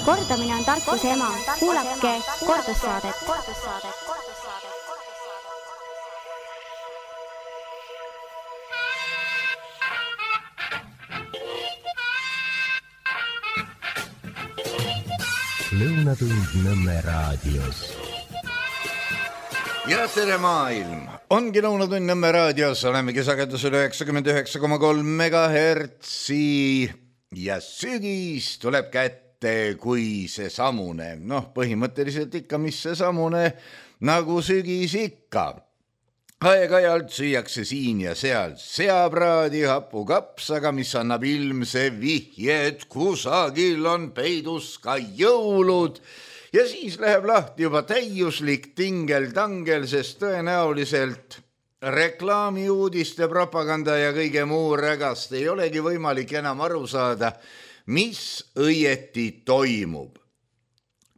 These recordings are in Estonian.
Kordamine on tarkuse ema. Kuulake kordussaadet. Lõunatund Nõmme raadios. Ja tere maailm! Ongi Lõunatund Nõmme raadios, olemegi sagedusel 99,3 megahertsi ja sügis tuleb kätte kui see samune. Põhimõtteliselt ikka, mis see samune, nagu sügis ikka. Aeg-ajalt süüakse siin ja seal seapraadi hapukapsaga, mis annab ilmse vihje, et kusagil on peidus ka jõulud. Ja siis läheb lahti juba täiuslik tingel-tangel, sest tõenäoliselt reklaamiuudiste, propaganda ja kõige muu rägast ei olegi võimalik enam aru saada, mis õieti toimub.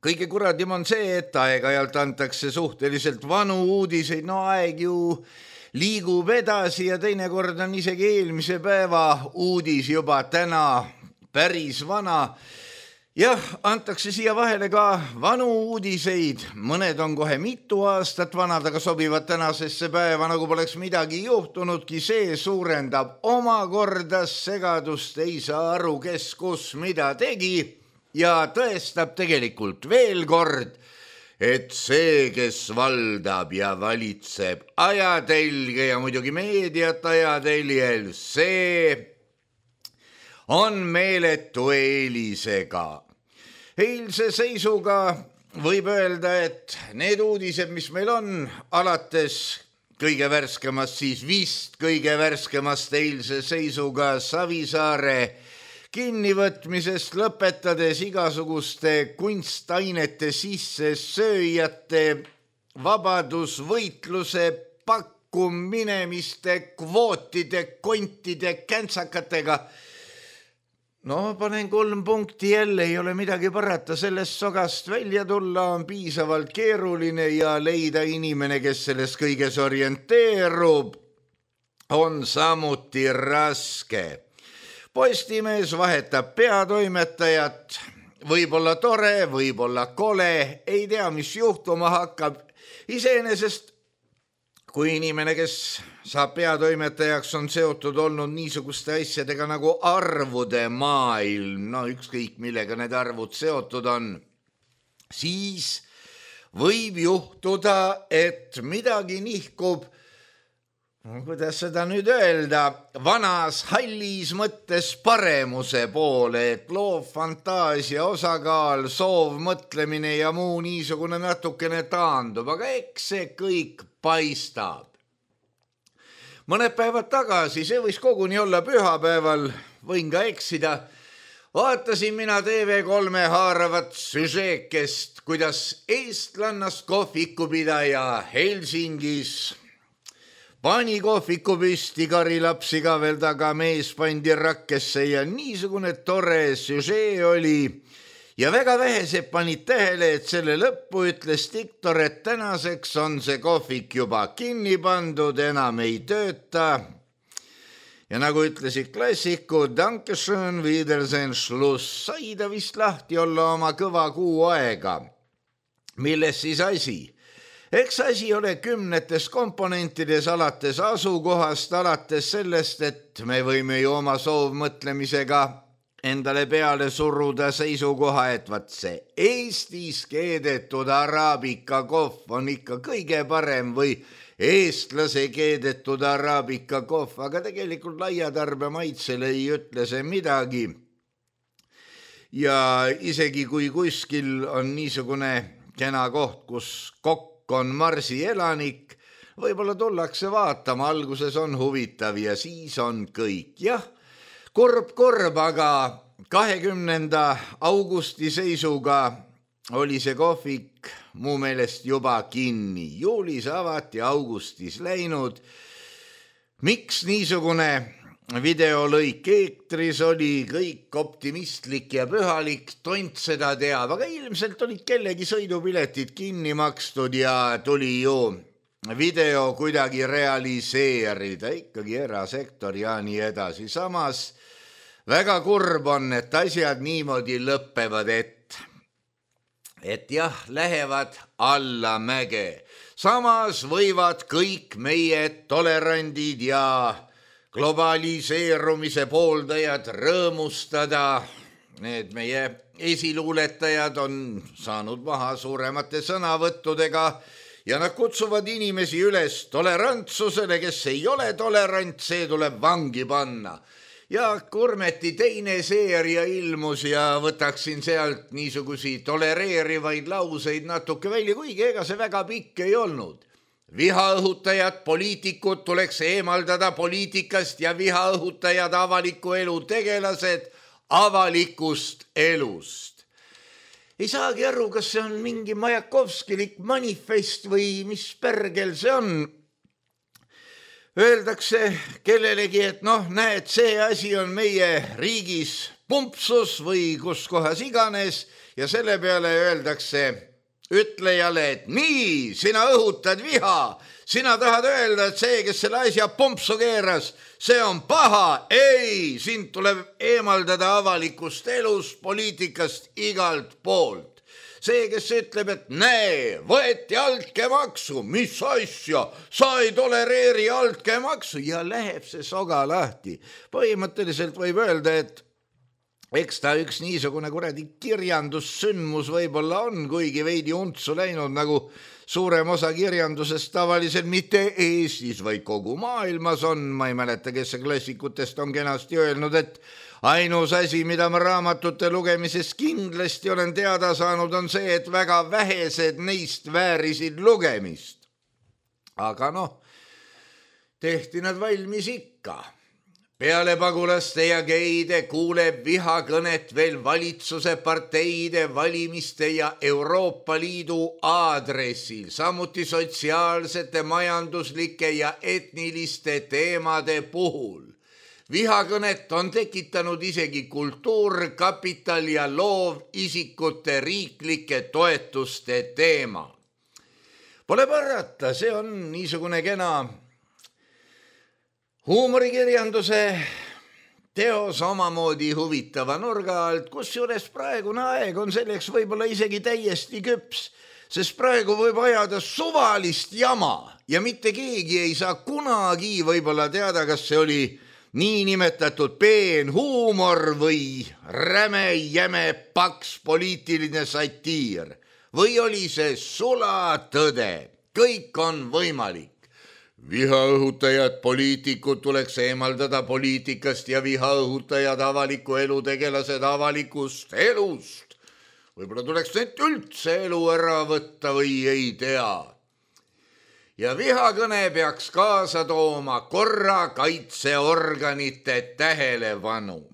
Kõige kuradim on see, et aeg-ajalt antakse suhteliselt vanu uudiseid, aeg ju liigub edasi ja teinekord on isegi eelmise päeva uudis juba täna päris vana. Jah, antakse siia vahele ka vanu uudiseid, mõned on kohe mitu aastat vanad, aga sobivad tänasesse päeva, nagu poleks midagi juhtunudki, see suurendab omakorda segadust, ei saa aru, kes kus mida tegi ja tõestab tegelikult veel kord, et see, kes valdab ja valitseb ajatelge ja muidugi meediat ajateljel, see on meeletu eelisega. Eilse seisuga võib öelda, et need uudised, mis meil on, alates kõige värskemast, siis vist kõige värskemast eilse seisuga Savisaare kinnivõtmisest, lõpetades igasuguste kunstainete sissesööjate vabadusvõitluse pakkuminemiste, kvootide, kontide, käntsakatega. Panen 3 punkti jälle, ei ole midagi parata, sellest sogast välja tulla on piisavalt keeruline ja leida inimene, kes selles kõiges orienteerub, on samuti raske. Postimees vahetab peatoimetajat, võib-olla tore, võib-olla kole, ei tea, mis juhtuma hakkab. Iseenesest, kui inimene, kes saab peatoimetajaks, on seotud olnud niisuguste asjadega nagu arvude maailm, ükskõik millega need arvud seotud on, siis võib juhtuda, et midagi nihkub, kuidas seda nüüd öelda, vanas hallis mõttes paremuse poole, et loov fantaasia, osakaal, soov, mõtlemine ja muu niisugune natukene taandub, aga eks see kõik paistab. Mõned päevad tagasi, see võis koguni olla pühapäeval, võin ka eksida, vaatasin mina TV3 haaravat süžeekest, kuidas eestlannast kohvikupidaja Helsingis pani kohviku püsti, karilapsi ka veel taga, mees pandi rakkesse ja niisugune tore süžee oli. Ja väga vähesed panid tähele, et selle lõppu ütles diktor, et tänaseks on see kohvik juba kinni pandud, enam ei tööta. Ja nagu ütlesid klassikud, Dankeschön, Wiedersehen, Schluss, sai ta vist lahti olla oma kõva kuu aega. Milles siis asi? Eks asi ole kümnetes komponentides, alates asukohast, alates sellest, et me võime ju oma soovmõtlemisega endale peale suruda seisukoha, et vaat see Eestis keedetud araabika kohv on ikka kõige parem või eestlase keedetud araabika kohv, aga tegelikult laiatarbe maitsele ei ütle see midagi. Ja isegi kui kuskil on niisugune kena koht, kus kokk on marsi elanik, võib-olla tullakse vaatama, alguses on huvitav ja siis on kõik. Jah, korb, aga 20. augusti seisuga oli see kohvik mu meelest juba kinni. Juulis avati, augustis läinud. Miks niisugune videolõik eetris oli, kõik optimistlik ja pühalik, tont seda teab, aga ilmselt olid kellegi sõidupiletid kinni makstud ja tuli ju video kuidagi realiseerida, ikkagi erasektor ja nii edasi. Samas väga kurb on, et asjad niimoodi lõppevad, et et jah, lähevad allamäge. Samas võivad kõik meie tolerandid ja globaliseerumise pooldajad rõõmustada. Need meie esiluuletajad on saanud maha suuremate sõnavõttudega ja nad kutsuvad inimesi üles tolerantsusele, kes ei ole tolerant, see tuleb vangi panna. Ja Kurmeti teine seeria ilmus ja võtaksin sealt niisugusi tolereerivaid lauseid natuke välja, kuigi ega see väga pikk ei olnud. Vihaõhutajad, poliitikud tuleks eemaldada poliitikast ja vihaõhutajad, avaliku elu tegelased avalikust elust. Ei saagi aru, kas see on mingi Majakovskilik manifest või mis pergel see on. Öeldakse kellelegi, et näed, see asi on meie riigis pumpsus või kus kohas iganes ja selle peale öeldakse ütlejale, et nii, sina õhutad viha, sina tahad öelda, et see, kes selle asja pumpsu keeras, see on paha. Ei, sind tuleb eemaldada avalikust elust, poliitikast, igalt poolt. See, kes ütleb, et näe, võeti altkäemaksu, mis asja, sa ei tolereeri altkäemaksu ja läheb see soga lahti. Põhimõtteliselt võib öelda, et eks ta üks niisugune kuradi kirjandussündmus võib-olla on, kuigi veidi untsu läinud, nagu suurem osa kirjandusest tavaliselt mitte Eestis, vaid kogu maailmas on. Ma ei mäleta, kes see klassikutest on kenasti öelnud, et ainus asi, mida ma raamatute lugemises kindlasti olen teada saanud, on see, et väga vähesed neist väärisid lugemist. Aga tehti nad valmis ikka. Peale pagulaste ja geide kuuleb vihakõnet veel valitsuse, parteide, valimiste ja Euroopa Liidu aadressil, samuti sotsiaalsete, majanduslike ja etniliste teemade puhul. Vihakõnet on tekitanud isegi Kultuurkapital ja loovisikute riiklike toetuste teema. Pole parata, see on niisugune kena huumorikirjanduse teos omamoodi huvitava nurga alt, kusjuures praegune aeg on selleks võib-olla isegi täiesti küps, sest praegu võib ajada suvalist jama ja mitte keegi ei saa kunagi võib-olla teada, kas see oli niinimetatud peenhuumor või räme, jäme, paks poliitiline satiir või oli see sulatõde. Kõik on võimalik. Vihaõhutajad, poliitikud tuleks eemaldada poliitikast ja vihaõhutajad, avaliku elu tegelased avalikust elust. Võib-olla tuleks neid üldse elu ära võtta või ei tea. Ja vihakõne peaks kaasa tooma korrakaitseorganite tähelepanu.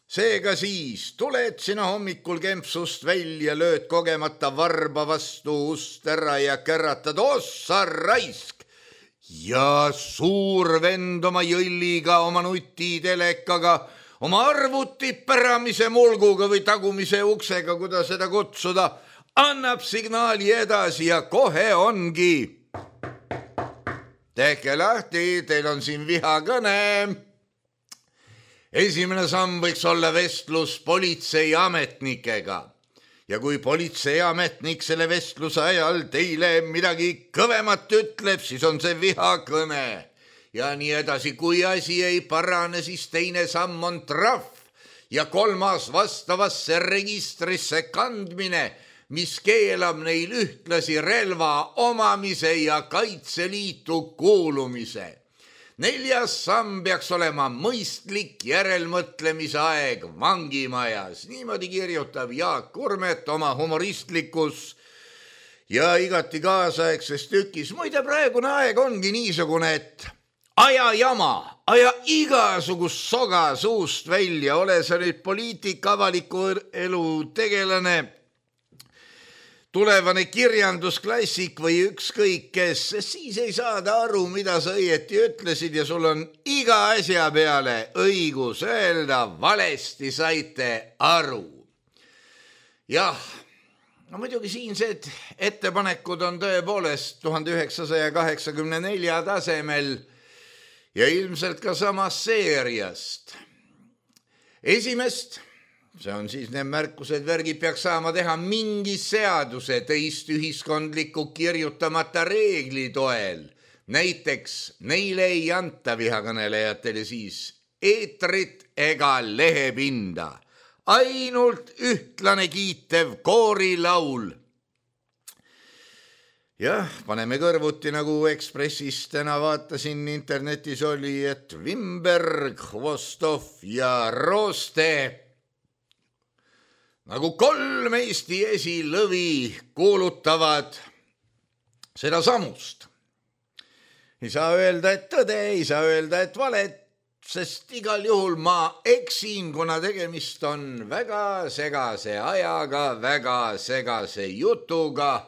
Seega siis tuled sina hommikul kempsust välja, lööd kogemata varba vastu ust ära ja käratad ossa raisk. Ja suur vend oma jõlliga, oma nutitelekaga, oma arvuti päramise mulguga või tagumise uksega, kuidas seda kutsuda, annab signaali edasi ja kohe ongi. Tehke lahti, teil on siin vihakõne. Esimene samm võiks olla vestlus politseiametnikega. Ja kui politseiametnik selle vestluse ajal teile midagi kõvemat ütleb, siis on see vihakõne. Ja nii edasi, kui asi ei parane, siis teine samm on trahv ja kolmas vastavasse registrisse kandmine, mis keelab neil ühtlasi relva omamise ja Kaitseliitu kuulumise. Neljas samm peaks olema mõistlik järelmõtlemise aeg vangimajas. Niimoodi kirjutab Jaak Kurmet oma humoristlikus ja igati kaasaegses tükis. Muide, praegune aeg ongi niisugune, et aja jama, aja igasugust soga suust välja, ole sa nüüd poliitik, avaliku elu tegelane, tulevane kirjandusklassik või ükskõik kes, siis ei saada aru, mida sa õieti ütlesid ja sul on iga asja peale õigus öelda, valesti saite aru. Jah, no muidugi siinsed ettepanekud on tõepoolest 1984 tasemel ja ilmselt ka samast seeriast. Esimest see on siis need märkused, värgid peaks saama teha mingi seaduse teist ühiskondliku kirjutamata reegli toel. Näiteks neile ei anta vihakõnelejatele siis eetrit ega lehepinda. Ainult ühtlane kiitev koorilaul. Jah, paneme kõrvuti, nagu Ekspressis täna vaatasin, internetis oli, et Wimberg, Hvostov ja Rooste nagu 3 Eesti esilõvi kuulutavad seda samust. Ei saa öelda, et tõde, ei saa öelda, et valet, sest igal juhul ma eksin, kuna tegemist on väga segase ajaga, väga segase jutuga,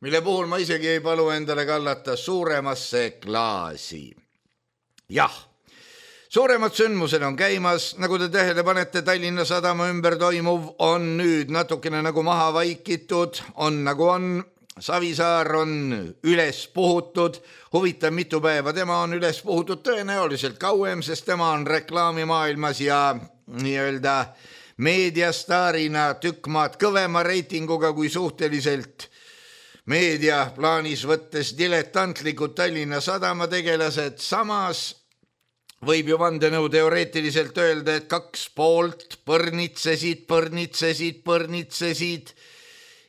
mille puhul ma isegi ei palu endale kallata suuremasse klaasi. Jah, suuremad sündmused on käimas, nagu te tähele panete, Tallinna Sadama ümber toimuv on nüüd natukene nagu maha vaikitud, on nagu on, Savisaar on üles puhutud, huvitav mitu päeva tema on üles puhutud, tõenäoliselt kauem, sest tema on reklaamimaailmas ja nii-öelda meediastaarina tükk maad kõvema reitinguga kui suhteliselt meedia plaanis võttes diletantlikud Tallinna Sadama tegelased. Samas võib ju vandenõu teoreetiliselt öelda, et 2 poolt põrnitsesid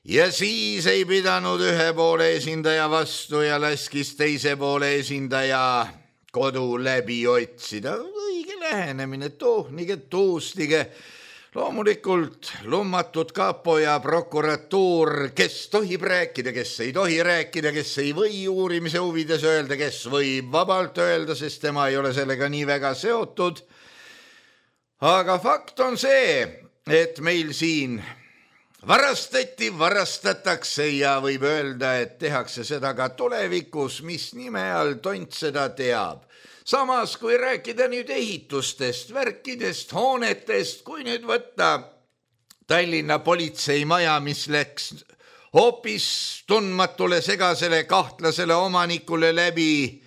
ja siis ei pidanud ühe poole esindaja vastu ja laskis teise poole esindaja kodu läbi otsida. Õige lähenemine, tohnige, tuustige. Loomulikult lummatud kapo ja prokuratuur, kes tohib rääkida, kes ei tohi rääkida, kes ei või uurimise huvides öelda, kes võib vabalt öelda, sest tema ei ole sellega nii väga seotud. Aga fakt on see, et meil siin varastatakse ja võib öelda, et tehakse seda ka tulevikus, mis nime all tont seda teab. Samas, kui rääkida nüüd ehitustest, värkidest, hoonetest, kui nüüd võtta Tallinna politseimaja, mis läks hoopis tundmatule segasele kahtlasele omanikule läbi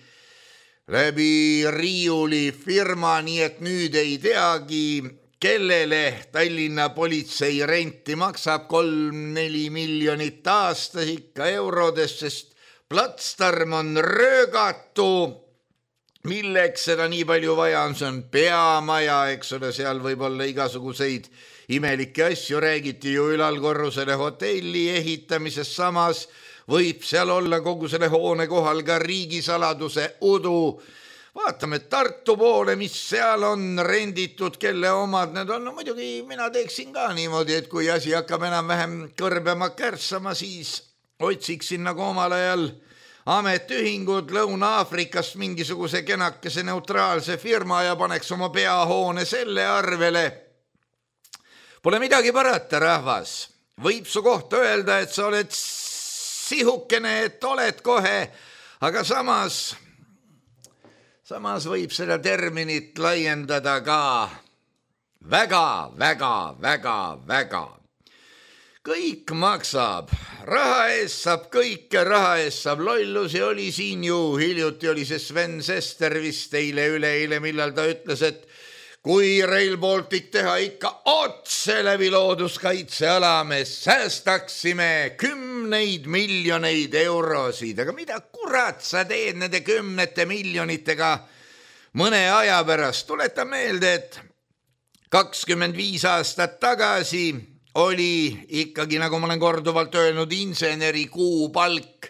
riiuli firma, nii et nüüd ei teagi, kellele Tallinna politsei renti maksab 3-4 miljonit aastas ikka eurodes, sest platsdarm on röögatu. Milleks seda nii palju vaja on, see on peamaja, eks ole, seal võib olla igasuguseid imelikke asju, räägiti ju ülalkorrusele hotelli ehitamisest, samas võib seal olla kogu selle hoone kohal ka riigisaladuse udu. Vaatame Tartu poole, mis seal on renditud, kelle omad need on. No muidugi mina teeksin ka niimoodi, et kui asi hakkab enam-vähem kõrbema kärssama, siis otsiksin nagu omal ajal ametiühingud Lõuna-Aafrikast mingisuguse kenakese neutraalse firma ja paneks oma peahoone selle arvele. Pole midagi parata, rahvas. Võib su kohta öelda, et sa oled sihukene, et oled kohe, aga samas võib seda terminit laiendada ka väga. Kõik maksab, raha eest saab kõike, raha eest saab lollusi, oli siin ju hiljuti, oli see Sven Sester vist üleeile, millal ta ütles, et kui Rail Baltic teha ikka otse läbi looduskaitseala, me säästaksime 10 miljoneid eurosid, aga mida kurat sa teed nende 10 miljonitega mõne aja pärast? Tuleta meelde, et 25 aastat tagasi oli ikkagi, nagu ma olen korduvalt öelnud, inseneri kuupalk,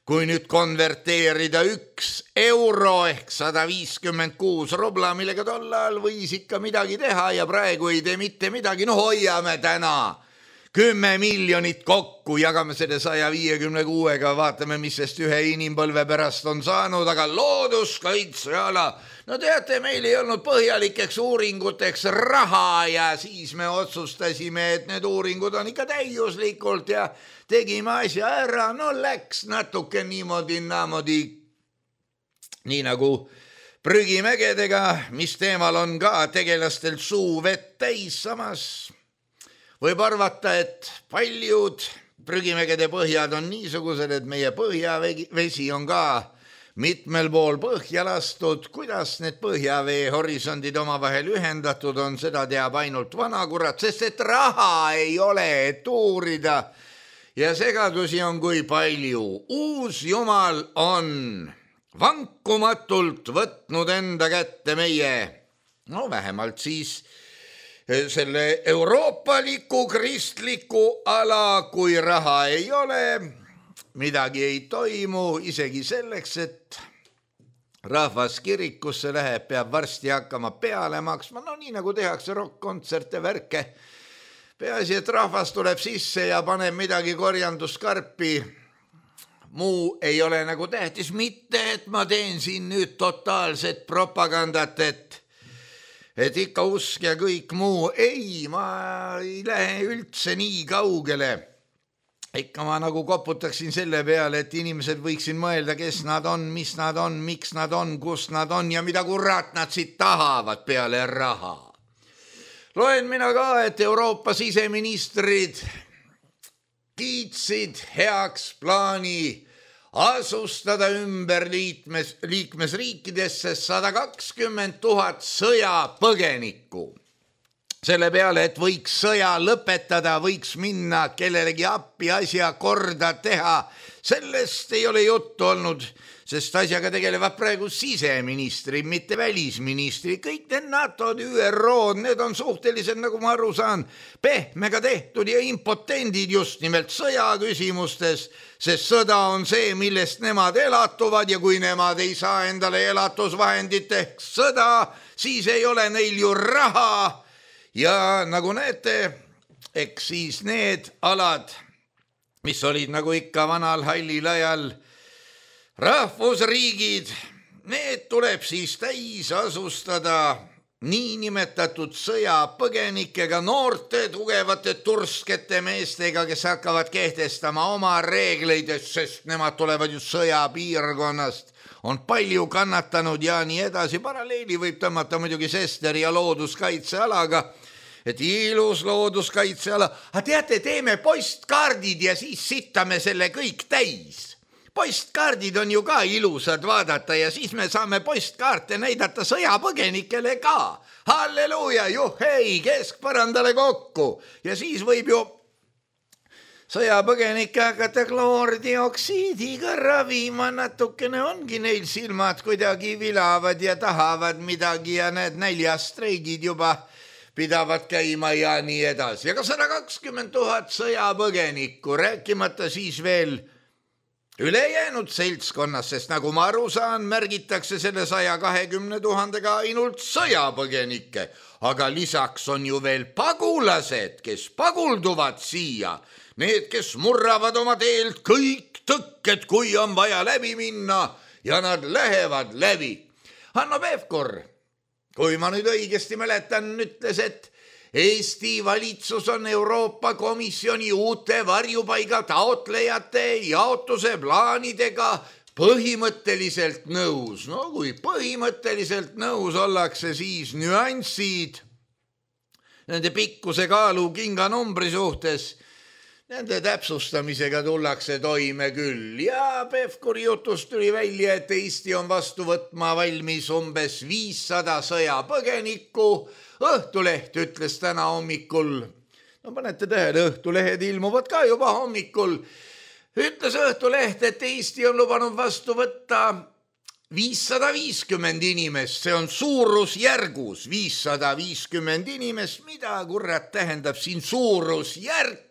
kui nüüd konverteerida 1 euro ehk 156 rubla, millega tollal võis ikka midagi teha ja praegu ei tee mitte midagi. No hoiame täna 10 miljonit kokku, jagame selle 156-ga, vaatame, mis sest ühe inimpõlve pärast on saanud, aga looduskaitseala. No teate, meil ei olnud põhjalikeks uuringuteks raha ja siis me otsustasime, et need uuringud on ikka täiuslikult ja tegime asja ära. No läks natuke niimoodi, nii nagu prügimägedega, mis teemal on ka tegelastel suu vett täis. Samas võib arvata, et paljud prügimägede põhjad on niisugused, et meie põhjavesi on ka mitmel pool põhja lastud, kuidas need põhjavee horisondid omavahel ühendatud on, seda teab ainult vanakurat, sest et raha ei ole, et uurida ja segadusi on kui palju. Uus jumal on vankumatult võtnud enda kätte meie, no vähemalt siis selle euroopaliku kristliku ala, kui raha ei ole, midagi ei toimu, isegi selleks, et rahvas kirikusse läheb, peab varsti hakkama peale maksma, no nii nagu tehakse rock-kontserte, värke. Peaasi, et rahvas tuleb sisse ja paneb midagi korjanduskarpi. Muu ei ole nagu tähtis, mitte et ma teen siin nüüd totaalset propagandat, et ikka usk ja kõik muu. Ei, ma ei lähe üldse nii kaugele. Ikka ma nagu koputaksin selle peale, et inimesed võiksin mõelda, kes nad on, mis nad on, miks nad on, kus nad on ja mida kurat nad siit tahavad peale raha. Loen mina ka, et Euroopa siseministrid kiitsid heaks plaani asustada ümber liikmesriikidesse 120 000 sõjapõgenikku. Selle peale, et võiks sõja lõpetada, võiks minna kellelegi appi asja korda teha. Sellest ei ole juttu olnud, sest asjaga tegelevad praegu siseministrid, mitte välisministrid. Kõik need NATO-d, ÜRO-d, need on suhteliselt, nagu ma aru saan, pehmega tehtud ja impotendid just nimelt sõjaküsimustes, sest sõda on see, millest nemad elatuvad ja kui nemad ei saa endale elatusvahendit ehk sõda, siis ei ole neil ju raha. Ja nagu näete, eks siis need alad, mis olid nagu ikka vanal hallil ajal rahvusriigid, need tuleb siis täis asustada niinimetatud sõjapõgenikega, noorte, tugevate, turskete meestega, kes hakkavad kehtestama oma reegleid, sest nemad tulevad ju sõjapiirkonnast, on palju kannatanud ja nii edasi. Paralleeli võib tõmmata muidugi Sesteri ja looduskaitsealaga, et ilus looduskaitseala. Aga teate, teeme postkaardid ja siis sittame selle kõik täis. Postkaardid on ju ka ilusad vaadata ja siis me saame postkaarte näidata sõjapõgenikele ka. Halleluuja, juhhei, keskpõrandale kokku. Ja siis võib ju sõjapõgenikke hakata kloordioksiidiga ravima, natukene ongi neil silmad kuidagi vilavad ja tahavad midagi ja need näljastreigid juba pidavad käima ja nii edasi. Aga 120 000 sõjapõgenikku, rääkimata siis veel ülejäänud seltskonnas, sest nagu ma aru saan, märgitakse selle 120 000-ga ainult sõjapõgenikke. Aga lisaks on ju veel pagulased, kes pagulduvad siia. Need, kes murravad oma teelt kõik tõkked, kui on vaja läbi minna ja nad lähevad läbi. Hanno Pevkur, kui ma nüüd õigesti mäletan, ütles, et Eesti valitsus on Euroopa Komisjoni uute varjupaiga taotlejate jaotuse plaanidega põhimõtteliselt nõus. No kui põhimõtteliselt nõus ollakse, siis nüansid nende pikkuse kaalu kinganumbri suhtes, nende täpsustamisega tullakse toime küll. Ja Pevkuri jutust tuli välja, et Eesti on vastu võtma valmis umbes 500 sõjapõgenikku. Õhtuleht ütles täna hommikul, no panete tähele, õhtulehed ilmuvad ka juba hommikul, ütles Õhtuleht, et Eesti on lubanud vastu võtta 550 inimest, see on suurusjärgus 550 inimest, mida kurat tähendab siin suurusjärk?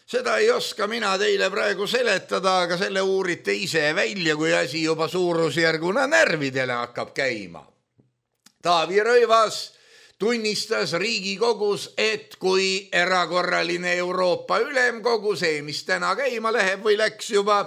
Seda ei oska mina teile praegu seletada, aga selle uurite ise välja, kui asi juba suurusjärguna närvidele hakkab käima. Taavi Rõivas tunnistas Riigikogus, et kui erakorraline Euroopa Ülemkogu, see, mis täna käima läheb või läks juba,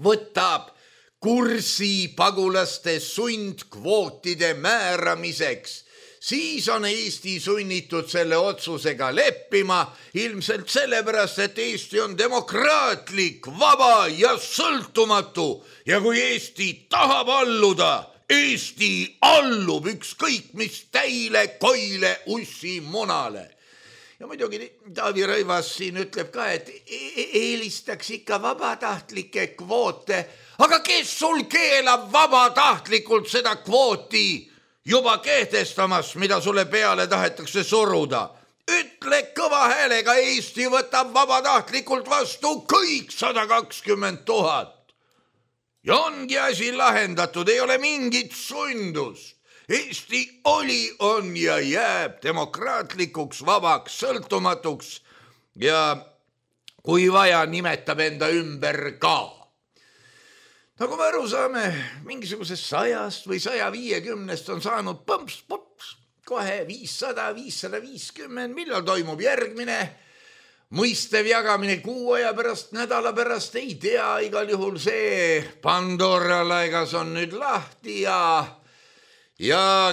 võtab kursi pagulaste sundkvootide määramiseks, siis on Eesti sunnitud selle otsusega leppima, ilmselt sellepärast, et Eesti on demokraatlik, vaba ja sõltumatu ja kui Eesti tahab alluda, Eesti allub ükskõik mis täile, koile, ussi, munale. Ja muidugi Taavi Rõivas siin ütleb ka, et eelistaks ikka vabatahtlike kvoote, aga kes sul keelab vabatahtlikult seda kvooti juba kehtestamast, mida sulle peale tahetakse suruda? Ütle kõva häälega, Eesti võtab vabatahtlikult vastu kõik 120 000. Ja ongi asi lahendatud, ei ole mingit sundust. Eesti oli, on ja jääb demokraatlikuks, vabaks, sõltumatuks ja kui vaja, nimetab enda ümber ka. Nagu me aru saame, mingisugusest 100 või 150 on saanud põmps, kohe 500, 550, millal toimub järgmine mõistev jagamine, kuu aja pärast, nädala pärast, ei tea, igal juhul see Pandora laegas on nüüd lahti ja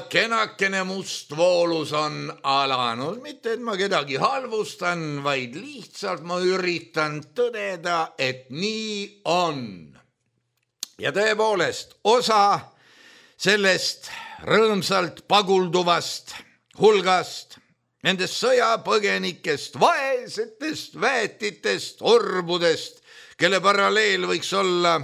kenakene mustvoolus on alanud. Mitte, et ma kedagi halvustan, vaid lihtsalt ma üritan tõdeda, et nii on. Ja tõepoolest, osa sellest rõõmsalt pagulduvast hulgast, nendest sõjapõgenikest, vaesetest, väetitest, orbudest, kelle paralleel võiks olla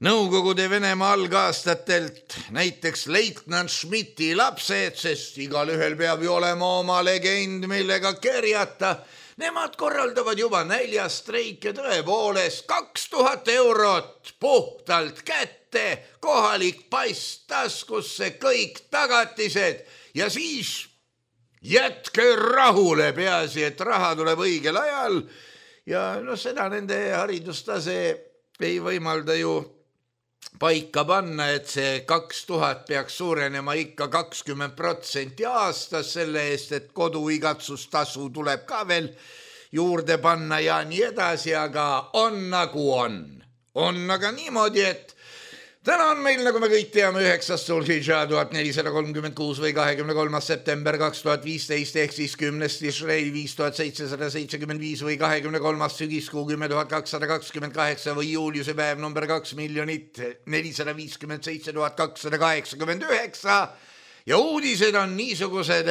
Nõukogude Venemaa algaastatelt näiteks leitnant Schmidti lapsed, sest igal ühel peab ju olema oma legend, millega kerjata. Nemad korraldavad juba näljastreike, tõepoolest 2000 eurot puhtalt kätte, kohalik pass taskusse, kõik tagatised ja siis jätke rahule, peaasi, et raha tuleb õigel ajal ja seda nende haridustase ei võimalda ju paika panna, et see 2000 peaks suurenema ikka 20% aastas selle eest, et koduigatsustasu tuleb ka veel juurde panna ja nii edasi, aga on nagu on. On aga niimoodi, et täna on meil, nagu me kõik teame, 9. Sulhidža 1436 või 23. september 2015 ehk siis 10. Tishrei 5775 või 23. sügiskuu 10228 või juuliuse päev number 2 457 289 ja uudised on niisugused,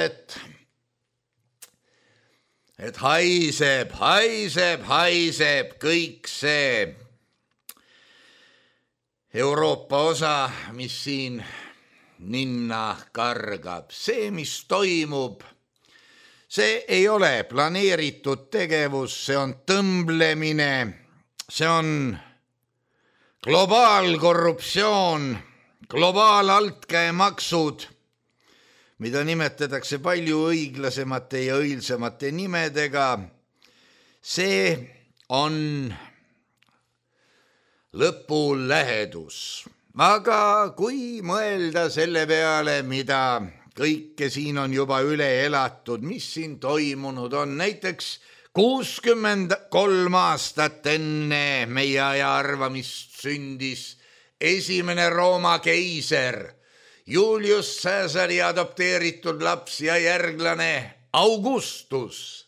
et haiseb kõik see Euroopa osa, mis siin ninna kargab. See, mis toimub, see ei ole planeeritud tegevus, see on tõmblemine, see on globaalkorruptsioon, globaalaltkäemaksud, mida nimetatakse palju õiglasemate ja õilsemate nimedega. See on lõpulähedus. Aga kui mõelda selle peale, mida kõike siin on juba üle elatud, mis siin toimunud on, näiteks 63 aastat enne meie aja arvamist sündis esimene Rooma keiser, Julius Caesari adopteeritud laps ja järglane Augustus.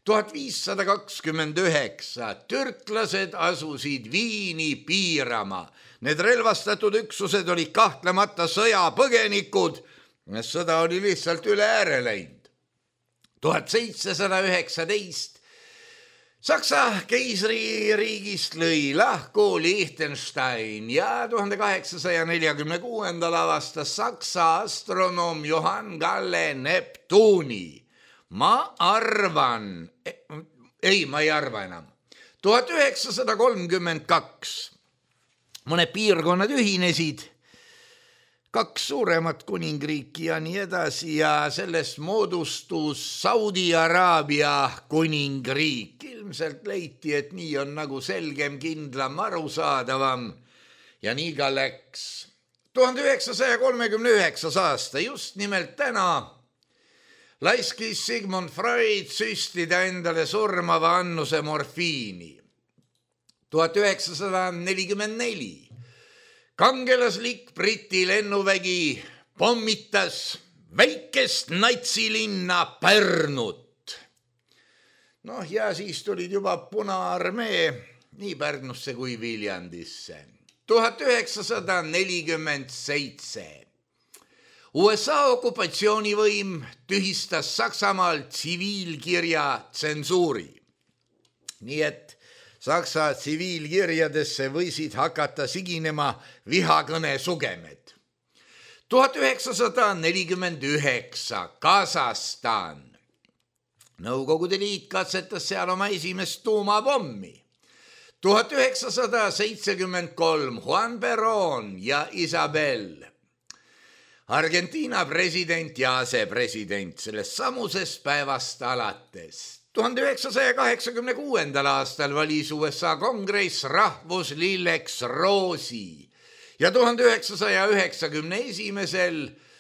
1529 türklased asusid Viini piirama. Need relvastatud üksused olid kahtlemata sõjapõgenikud, sõda oli lihtsalt üle ääre läinud. 1719 Saksa keisririigist lõi lahku Liechtenstein ja 1846 avastas Saksa astronoom Johann Galle Neptuuni. Ma ei arva enam. 1932 mõned piirkonnad ühinesid, 2 suuremat kuningriiki ja nii edasi ja sellest moodustus Saudi-Araabia kuningriik. Ilmselt leiti, et nii on nagu selgem, kindlam, arusaadavam ja nii ka läks. 1939 aasta, just nimelt täna, laiskis Sigmund Freud süstida endale surmava annuse morfiini. 1944 kangelaslik Briti lennuvägi pommitas väikest natsilinna Pärnut. Ja siis tulid juba Punaarmee nii Pärnusse kui Viljandisse. 1947 USA okupatsioonivõim tühistas Saksamaal tsiviilkirja tsensuuri. Nii et Saksa tsiviilkirjadesse võisid hakata siginema vihakõne sugemed. 1949 Kasahstan. Nõukogude Liit katsetas seal oma esimest tuumapommi. 1973 Juan Perón ja Isabel. Argentiina president ja asepresident sellest samusest päevast alates. 1986. aastal valis USA kongress rahvuslilleks roosi ja 1991.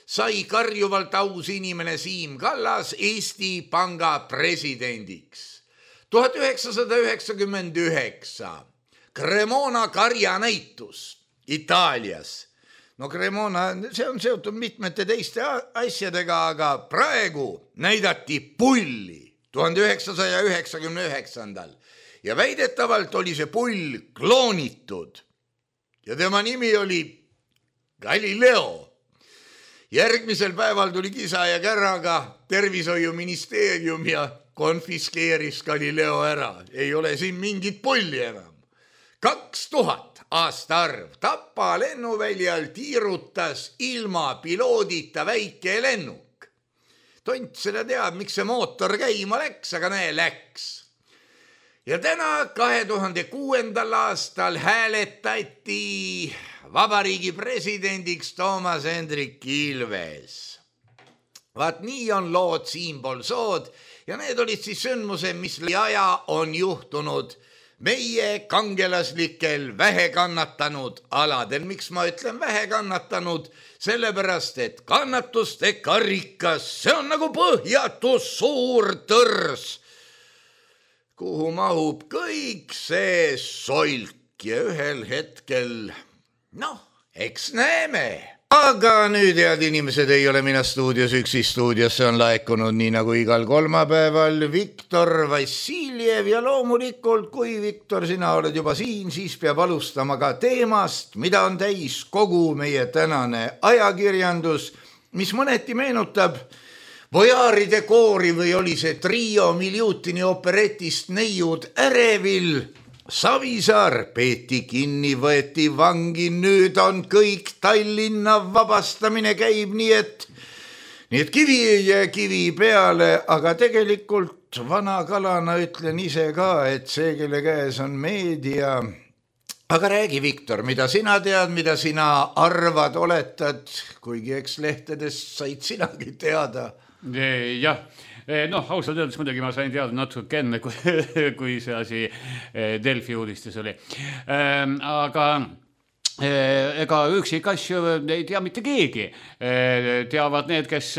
sai karjuvalt aus inimene Siim Kallas Eesti Panga presidendiks. 1999 Cremona karjanäitus Itaalias. No Cremona, see on seotud mitmete teiste asjadega, aga praegu näidati pulli 1999. Ja väidetavalt oli see pull kloonitud ja tema nimi oli Galileo. Järgmisel päeval tuli kisa ja kärraga tervishoiuministeerium ja konfiskeeris Galileo ära. Ei ole siin mingit pulli enam. 2000 aastaarv Tapa lennuväljal tiirutas ilma piloodita väike lennuk. Tont seda teab, miks see mootor käima läks, aga näe läks. Ja täna 2006. aastal hääletati vabariigi presidendiks Toomas Hendrik Ilves. Vaat nii on lood siinpool sood ja need olid siis sündmused, mis aja on juhtunud meie kangelaslikel vähekannatanud aladel. Miks ma ütlen vähekannatanud? Sellepärast, et kannatuste karikas, see on nagu põhjatu suur tõrs, kuhu mahub kõik see solk ja ühel hetkel, eks näeme. Aga nüüd, head inimesed, ei ole mina stuudios üksi. Stuudiosse on laekunud nii nagu igal kolmapäeval Viktor Vassiljev ja loomulikult, kui Viktor, sina oled juba siin, siis peab alustama ka teemast, mida on täis kogu meie tänane ajakirjandus, mis mõneti meenutab Vojaaride koori või oli see trio Miljutini operetist Neiud ärevil. Savisaar peeti kinni, võeti vangi, nüüd on kõik Tallinna vabastamine käib, nii et kivi peale, aga tegelikult vana kalana ütlen ise ka, et see, kelle käes on meedia. Aga räägi, Viktor, mida sina tead, mida sina arvad, oletad, kuigi eks lehtedest said sinagi teada? Jah. Ausalt öeldes muidugi ma sain teada natuke enne, kui see asi Delfi uudistes oli. Aga ega üksikasju ei tea mitte keegi. Teavad need, kes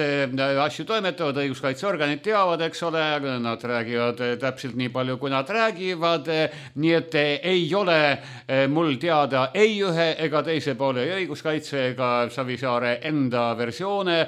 asju toimetavad, õiguskaitseorganid teavad, eks ole, nad räägivad täpselt nii palju, kui nad räägivad, nii et ei ole mul teada ei ühe ega teise poole õiguskaitse ega Savisaare enda versioone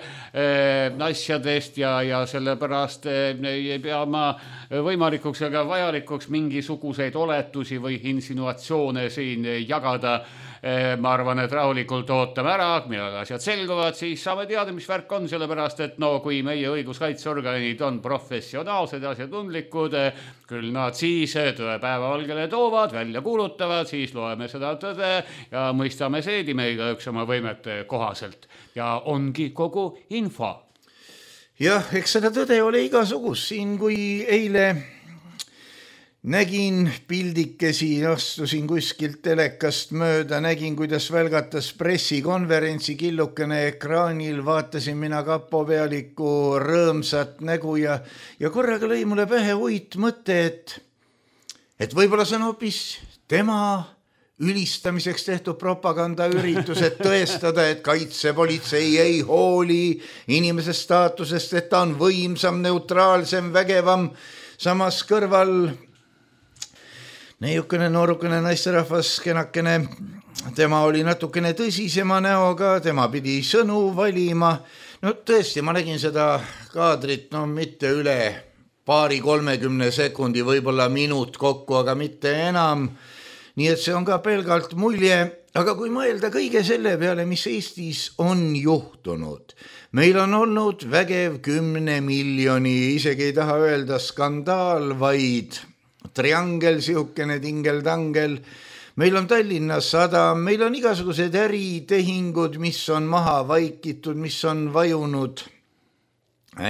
asjadest ja sellepärast ei pea ma võimalikuks ega vajalikuks mingisuguseid oletusi või insinuatsioone siin jagada. Ma arvan, et rahulikult ootame ära, millal asjad selguvad, siis saame teada, mis värk on, sellepärast, et kui meie õiguskaitseorganid on professionaalsed ja asjatundlikud, küll nad siis tõe päevavalgele toovad, välja kuulutavad, siis loeme seda tõde ja mõistame seedime igaüks oma võimete kohaselt. Ja ongi kogu info. Jah, eks seda tõde ole igasugust. Siin kui eile nägin pildikesi, astusin kuskilt telekast mööda, nägin, kuidas välgatas pressikonverentsi killukene ekraanil, vaatasin mina kapopealiku rõõmsat nägu ja korraga lõi mulle pähe uit mõte, et võib-olla see on hoopis tema ülistamiseks tehtud propagandaüritus, et tõestada, et kaitsepolitsei ei hooli inimese staatusest, et ta on võimsam, neutraalsem, vägevam, samas kõrval neiukene noorukene naisterahvas, kenakene, tema oli natukene tõsisema näoga, tema pidi sõnu valima. Tõesti, ma nägin seda kaadrit, mitte üle 20-30 sekundi, võib-olla minut kokku, aga mitte enam. Nii et see on ka pelgalt mulje, aga kui mõelda kõige selle peale, mis Eestis on juhtunud, meil on olnud vägev 10 miljoni, isegi ei taha öelda skandaal, vaid triangel, sihukene tingel-tangel. Meil on Tallinna Sadam, meil on igasugused äritehingud, mis on maha vaikitud, mis on vajunud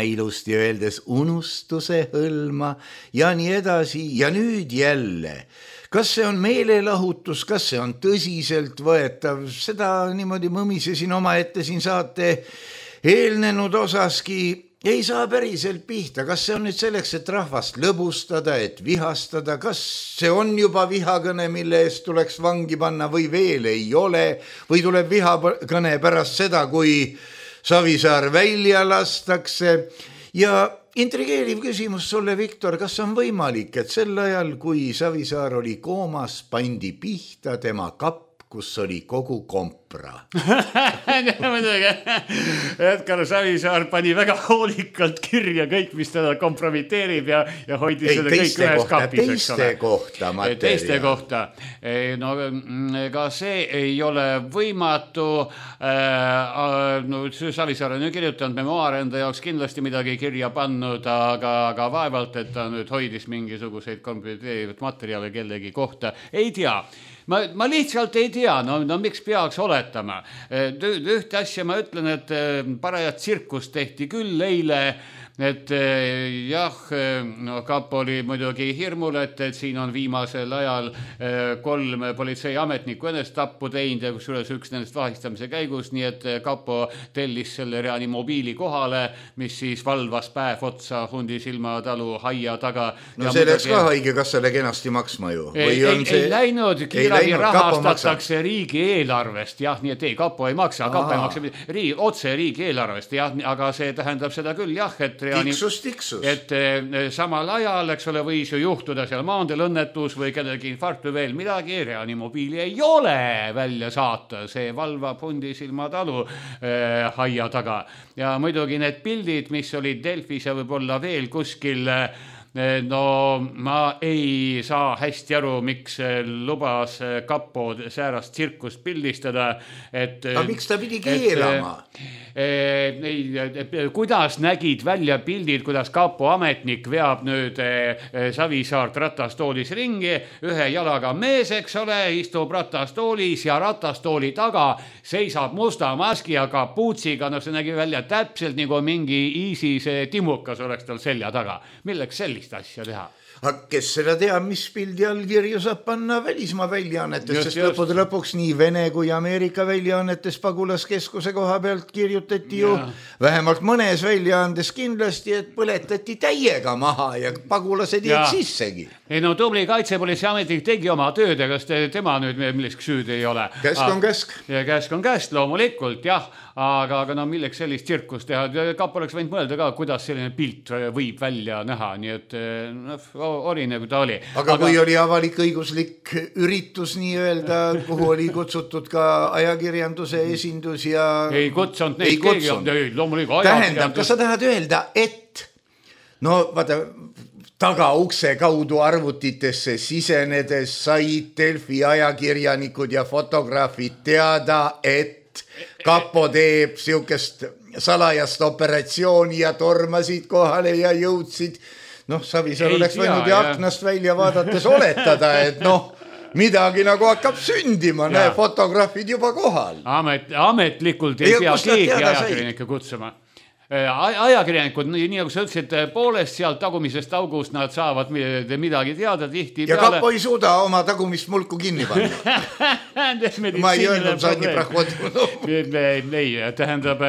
ilusti öeldes unustuse hõlma ja nii edasi. Ja nüüd jälle, kas see on meelelahutus, kas see on tõsiselt võetav, seda niimoodi mõmisesin oma ette siin saate eelnenud osaski, ei saa päriselt pihta, kas see on nüüd selleks, et rahvast lõbustada, et vihastada, kas see on juba vihakõne, mille eest tuleks vangi panna või veel ei ole, või tuleb vihakõne pärast seda, kui Savisaar välja lastakse. Ja intrigeeriv küsimus sulle, Viktor, kas on võimalik, et sel ajal, kui Savisaar oli koomas, pandi pihta tema kapp, kus oli kogu kompra? Edgar Savisaar pani väga hoolikalt kirja kõik, mis teda kompromiteerib ja hoidis seda kõik ühes kapis. Teiste kohta materjal. Teiste kohta. No, ega see ei ole võimatu. Savisaar on ju kirjutanud memoaare enda jaoks kindlasti midagi kirja pannud, aga vaevalt, et ta nüüd hoidis mingisuguseid kompromiteerivat materjale kellegi kohta. Ei tea. Ma lihtsalt ei tea, no miks peaks oletama. Ühte asja ma ütlen, et parajat tsirkust tehti küll eile, et jah, no kapo oli muidugi hirmul, et siin on viimasel ajal 3 politseiametnikku enestappu teinud ja kusjuures üks nendest vahistamise käigus, nii et kapo tellis selle reanimobiili kohale, mis siis valvas päev otsa Hundisilma talu haia taga. No see läks ka haigekassale kenasti maksma ju. Ei läinud, kiirabi rahastatakse riigieelarvest, jah, nii et ei, kapo ei maksa, otse riigieelarvest, jah, aga see tähendab seda küll, jah, et tiksus. Et samal ajal, eks ole, võis ju juhtuda seal maandel õnnetus või kellegi infarkt või veel midagi, reanimobiili ei ole välja saata, see valvab Hundisilma talu haia taga. Ja muidugi need pildid, mis olid Delfis ja võib-olla veel kuskil, no ma ei saa hästi aru, miks lubas kapo säärast tsirkust pildistada. Aga miks ta pidi keelama? Kuidas nägid välja pildid, kuidas kapo ametnik veab nüüd Savisaart ratastoolis ringi, ühe jalaga mees, eks ole, istub ratastoolis ja ratastooli taga seisab musta maski ja kapuutsiga, no see nägi välja täpselt nagu mingi ISIS timukas oleks tal selja taga. Milleks sellist asja teha? Aga kes seda teab, mis pildi allkirju saab panna välismaa väljaannetes, sest lõpuks nii Vene kui Ameerika väljaannetes Pagulaskeskuse koha pealt kirjutati ju vähemalt mõnes väljaandes kindlasti, et põletati täiega maha ja pagulased jäid sissegi. Ei no tubli kaitsepolitseiametnik tegi oma tööd, aga tema nüüd milleks süüd ei ole. Käsk on käsk. Ja käsk on käsk, loomulikult, jah. Aga no milleks sellist tsirkust teha? Kapo oleks võinud mõelda ka, kuidas selline pilt võib välja näha, nii et oli nagu ta oli. Aga kui oli avalik õiguslik üritus nii öelda, kuhu oli kutsutud ka ajakirjanduse esindus ja... Ei kutsunud neid keegi, loomulikult tähendab, kas sa tahad öelda, et no vaata, tagaukse kaudu arvutitesse sisenedes said Delfi ajakirjanikud ja fotograafid teada, et kapo teeb siukest salajast operatsiooni ja tormasid kohale ja jõudsid. Noh, Savisaar oleks võinud ja aknast välja vaadates oletada, et noh, midagi nagu hakkab sündima, näe, fotograafid juba kohal. Ametlikult ei pea keegi ajakirjanikke kutsuma. Ajakirjanikud, nii nagu sa ütlesid, poolest sealt tagumisest august nad saavad midagi teada tihti. Ja kapo ei suuda oma tagumist mulku kinni panna. Ma ei öelnud Sanni Prahvodu. Ei, tähendab,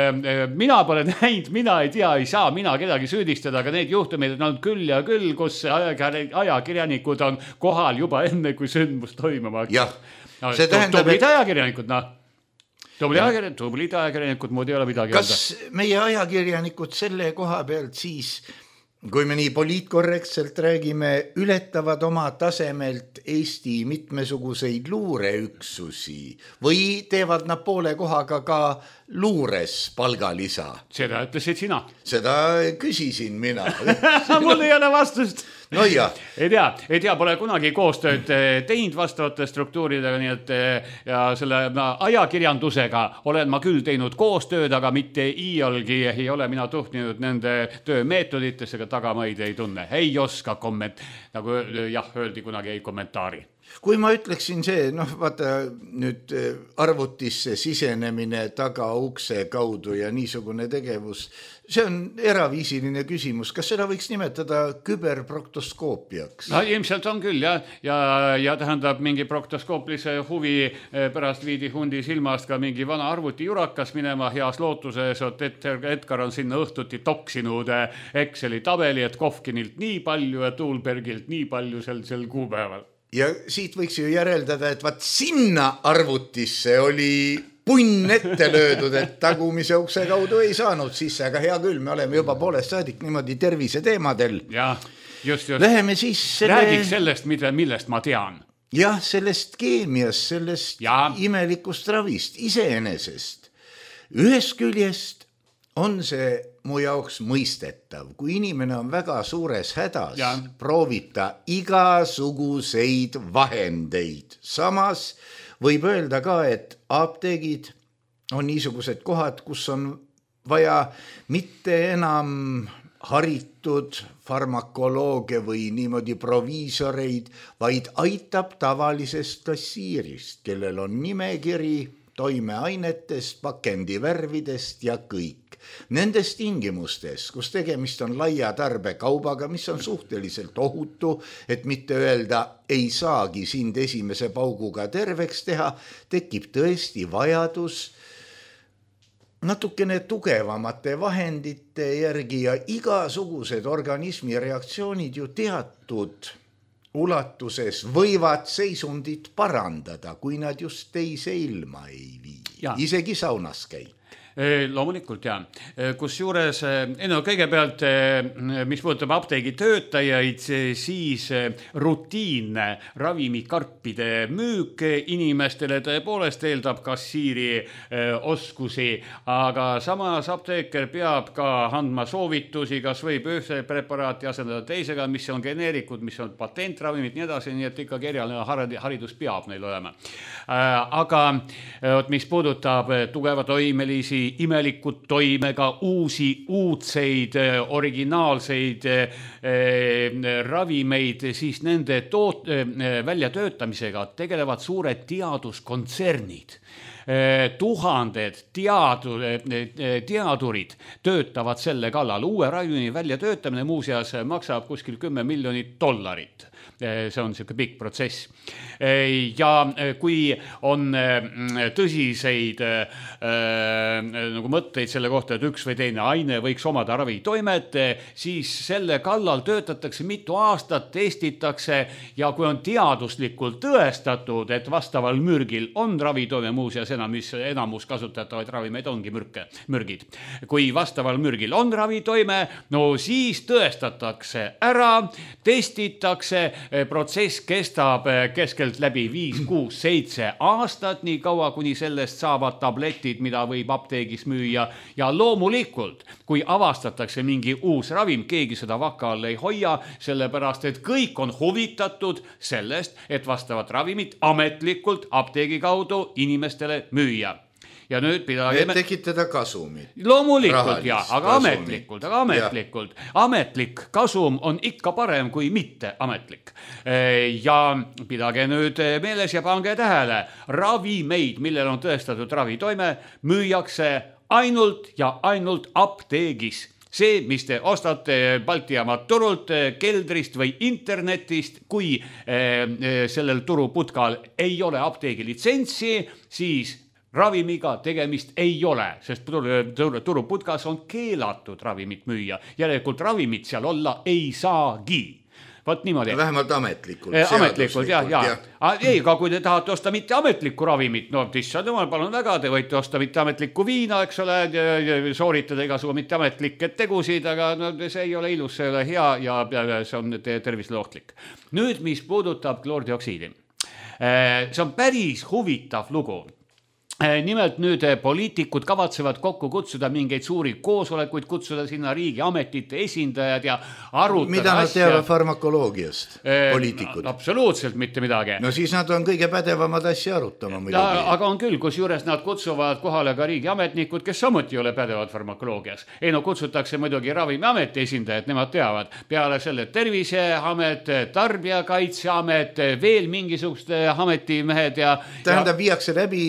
mina pole näinud, mina ei tea, ei saa mina kedagi süüdistada, aga need juhtumid on küll ja küll, kus ajakirjanikud on kohal juba enne, kui sündmus toimuma. Jah, see tähendab, tublid ajakirjanikud, noh. Tublid ajakirjanikud, muud ei ole midagi. Kas meie ajakirjanikud selle koha pealt siis, kui me nii poliitkorrektselt räägime, ületavad oma tasemelt Eesti mitmesuguseid luureüksusi või teevad nad poole kohaga ka luures palgalisa? Seda ütlesid sina. Seda küsisin mina. Mul ei ole vastust. no ja. ei tea, pole kunagi koostööd teinud vastavate struktuuridega, nii et ja selle ajakirjandusega olen ma küll teinud koostööd, aga mitte iialgi ei ole mina tuhtinud nende töömeetoditesse, ega tagamaid ei tunne, ei oska nagu öeldi kunagi ei kommentaari. Kui ma ütleksin see, vaata nüüd arvutisse sisenemine tagaukse kaudu ja niisugune tegevus, see on eraviisiline küsimus. Kas seda võiks nimetada küberproktoskoopiaks? No ilmselt on küll, ja tähendab mingi proktoskooplise huvi pärast viidi hundi silmast ka mingi vana arvuti jurakas minema heas lootuses, et Edgar on sinna õhtuti toksinud Exceli tabeli, et Kovkinilt nii palju ja Tuulbergilt nii palju sel kuupäeval. Ja siit võiks ju järeldada, et vaat sinna arvutisse oli punn ette löödud, et tagumise ukse kaudu ei saanud sisse, aga hea küll, me oleme juba poolest saadik niimoodi tervise teemadel. Ja, just. Läheme siis Räägiks sellest, millest ma tean. Jah, sellest keemiast, sellest imelikust ravist, iseenesest. Ühest küljest on see mu jaoks mõistetav. Kui inimene on väga suures hädas, proovita igasuguseid vahendeid. Samas võib öelda ka, et apteegid on niisugused kohad, kus on vaja mitte enam haritud farmakolooge või niimoodi proviisoreid, vaid aitab tavalisest kassiirist, kellel on nimekiri toimeainetest, pakendivärvidest ja kõik. Nendes tingimustes, kus tegemist on laia tarbekaubaga, mis on suhteliselt ohutu, et mitte öelda ei saagi sind esimese pauguga terveks teha, tekib tõesti vajadus natukene tugevamate vahendite järgi ja igasugused organismi reaktsioonid ju teatud ulatuses võivad seisundit parandada, kui nad just teise ilma ei vii. Isegi saunas käib. Loomulikult kus juures, kõigepealt, mis puudutab apteegi töötajaid, siis rutiinne ravimikarpide müük inimestele tõepoolest eeldab kassiiri oskusi, aga samas apteeker peab ka andma soovitusi, kas võib ühte preparaati asendada teisega, mis on geneerikud, mis on patentravimid, nii edasi, nii et ikkagi erialine haridus peab neil olema. Aga mis puudutab tugeva toimelisi imelikud toimega uudseid, originaalseid ravimeid, siis nende väljatöötamisega tegelevad suured teaduskontsernid. Tuhanded teadurid töötavad selle kallal. Uue ravimi väljatöötamine muuseas maksab kuskil $10 miljonit. See on selline pikk protsess. Ja kui on tõsiseid nagu mõtteid selle kohta, et üks või teine aine võiks omada ravitoimet, siis selle kallal töötatakse mitu aastat, testitakse ja kui on teaduslikult tõestatud, et vastaval mürgil on ravitoime, muuseas enamus kasutatavaid ravimeid ongi mürgid. Kui vastaval mürgil on ravitoime, no siis tõestatakse ära, testitakse, protsess kestab keskelt läbi 5, 6, 7 aastat, nii kaua, kuni sellest saavad tabletid, mida võib apteegis müüa. Ja loomulikult, kui avastatakse mingi uus ravim, keegi seda vaka all ei hoia, sellepärast, et kõik on huvitatud sellest, et vastavat ravimit ametlikult apteegi kaudu inimestele müüa. Ja nüüd pidageme... Et tekitada kasumit. Loomulikult, aga ametlikult. Ametlik kasum on ikka parem kui mitte ametlik. Ja pidage nüüd meeles ja pange tähele. Ravimeid, millel on tõestatud ravitoime, müüakse ainult ja ainult apteegis. See, mis te ostate Balti jaamad turult, keldrist või internetist, kui sellel turuputkal ei ole apteegi litsentsi, siis ravimiga tegemist ei ole, sest turuputkas on keelatud ravimit müüa. Järelikult ravimit seal olla ei saagi. Võt niimoodi. Vähemalt ametlikult. Ametlikult, Ei, aga kui te tahate osta mitte ametlikku ravimit, no tissad jumal, palun väga, te võite osta mitte ametlikku viina, eks ole, sooritada igasugu mitte ametlikke tegusid, aga no, see ei ole ilus, see ei ole hea ja see on tervisele ohtlik. Nüüd, mis puudutab kloordioksiidi. See on päris huvitav lugu. Nimelt nüüd poliitikud kavatsevad kokku kutsuda mingeid suuri koosolekuid, kutsuda sinna riigiametite esindajad ja arutada mida nad teavad farmakoloogiast, poliitikud? Absoluutselt mitte midagi. No siis nad on kõige pädevamad asja arutama muidugi. Aga on küll, kus juures nad kutsuvad kohale ka riigiametnikud, kes samuti ei ole pädevad farmakoloogias. Ei no kutsutakse muidugi Ravimiameti esindajad, nemad teavad. Peale selle Terviseamet, Tarbijakaitseamet, veel mingisugused ametimehed ja... Tähendab, viiakse läbi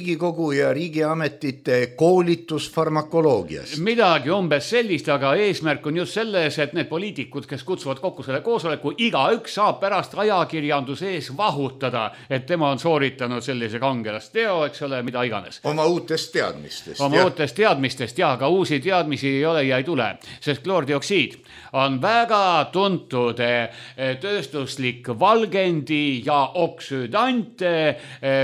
Riigikogu ja riigiametite koolitus farmakoloogias. Midagi umbes sellist, aga eesmärk on just selles, et need poliitikud, kes kutsuvad kokku selle koosoleku, igaüks saab pärast ajakirjanduse ees vahutada, et tema on sooritanud sellise kangelasteo, eks ole, mida iganes. Oma uutest teadmistest. Uutest teadmistest, jah, aga uusi teadmisi ei ole ja ei tule, sest kloordioksiid on väga tuntud tööstuslik valgendi ja oksüdant.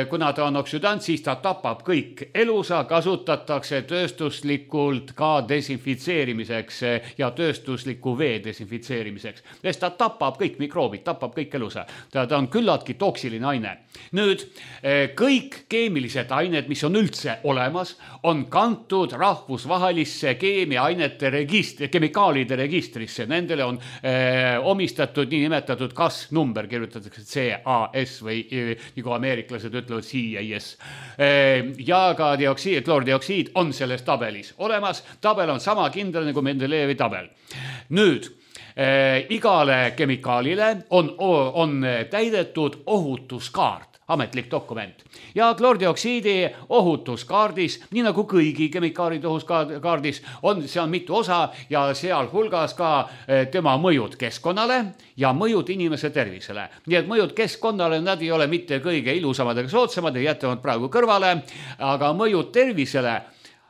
Kuna ta on oksüdant, siis ta tapab kõik elusa, kasutatakse tööstuslikult ka desinfitseerimiseks ja tööstusliku vee desinfitseerimiseks. Sest ta tapab kõik mikroobid, tapab kõik elusa. Ta on küllaltki toksiline aine. Nüüd, kõik keemilised ained, mis on üldse olemas, on kantud rahvusvahelisse keemiainete kemikaalide registrisse. Nendele on omistatud niinimetatud CAS-number, kirjutatakse CAS või nagu ameeriklased ütlevad CAS. Ja ka kloordioksiid on selles tabelis olemas. Tabel on sama kindel nagu Mendelejevi tabel. Nüüd, igale kemikaalile on täidetud ohutuskaart, ametlik dokument. Ja kloordioksiidi ohutuskaardis, nii nagu kõigi kemikaalide ohutuskaardis, seal on mitu osa ja seal hulgas ka tema mõjud keskkonnale ja mõjud inimese tervisele. Nii et mõjud keskkonnale, nad ei ole mitte kõige ilusamad ega soodsamad ja jätavad praegu kõrvale, aga mõjud tervisele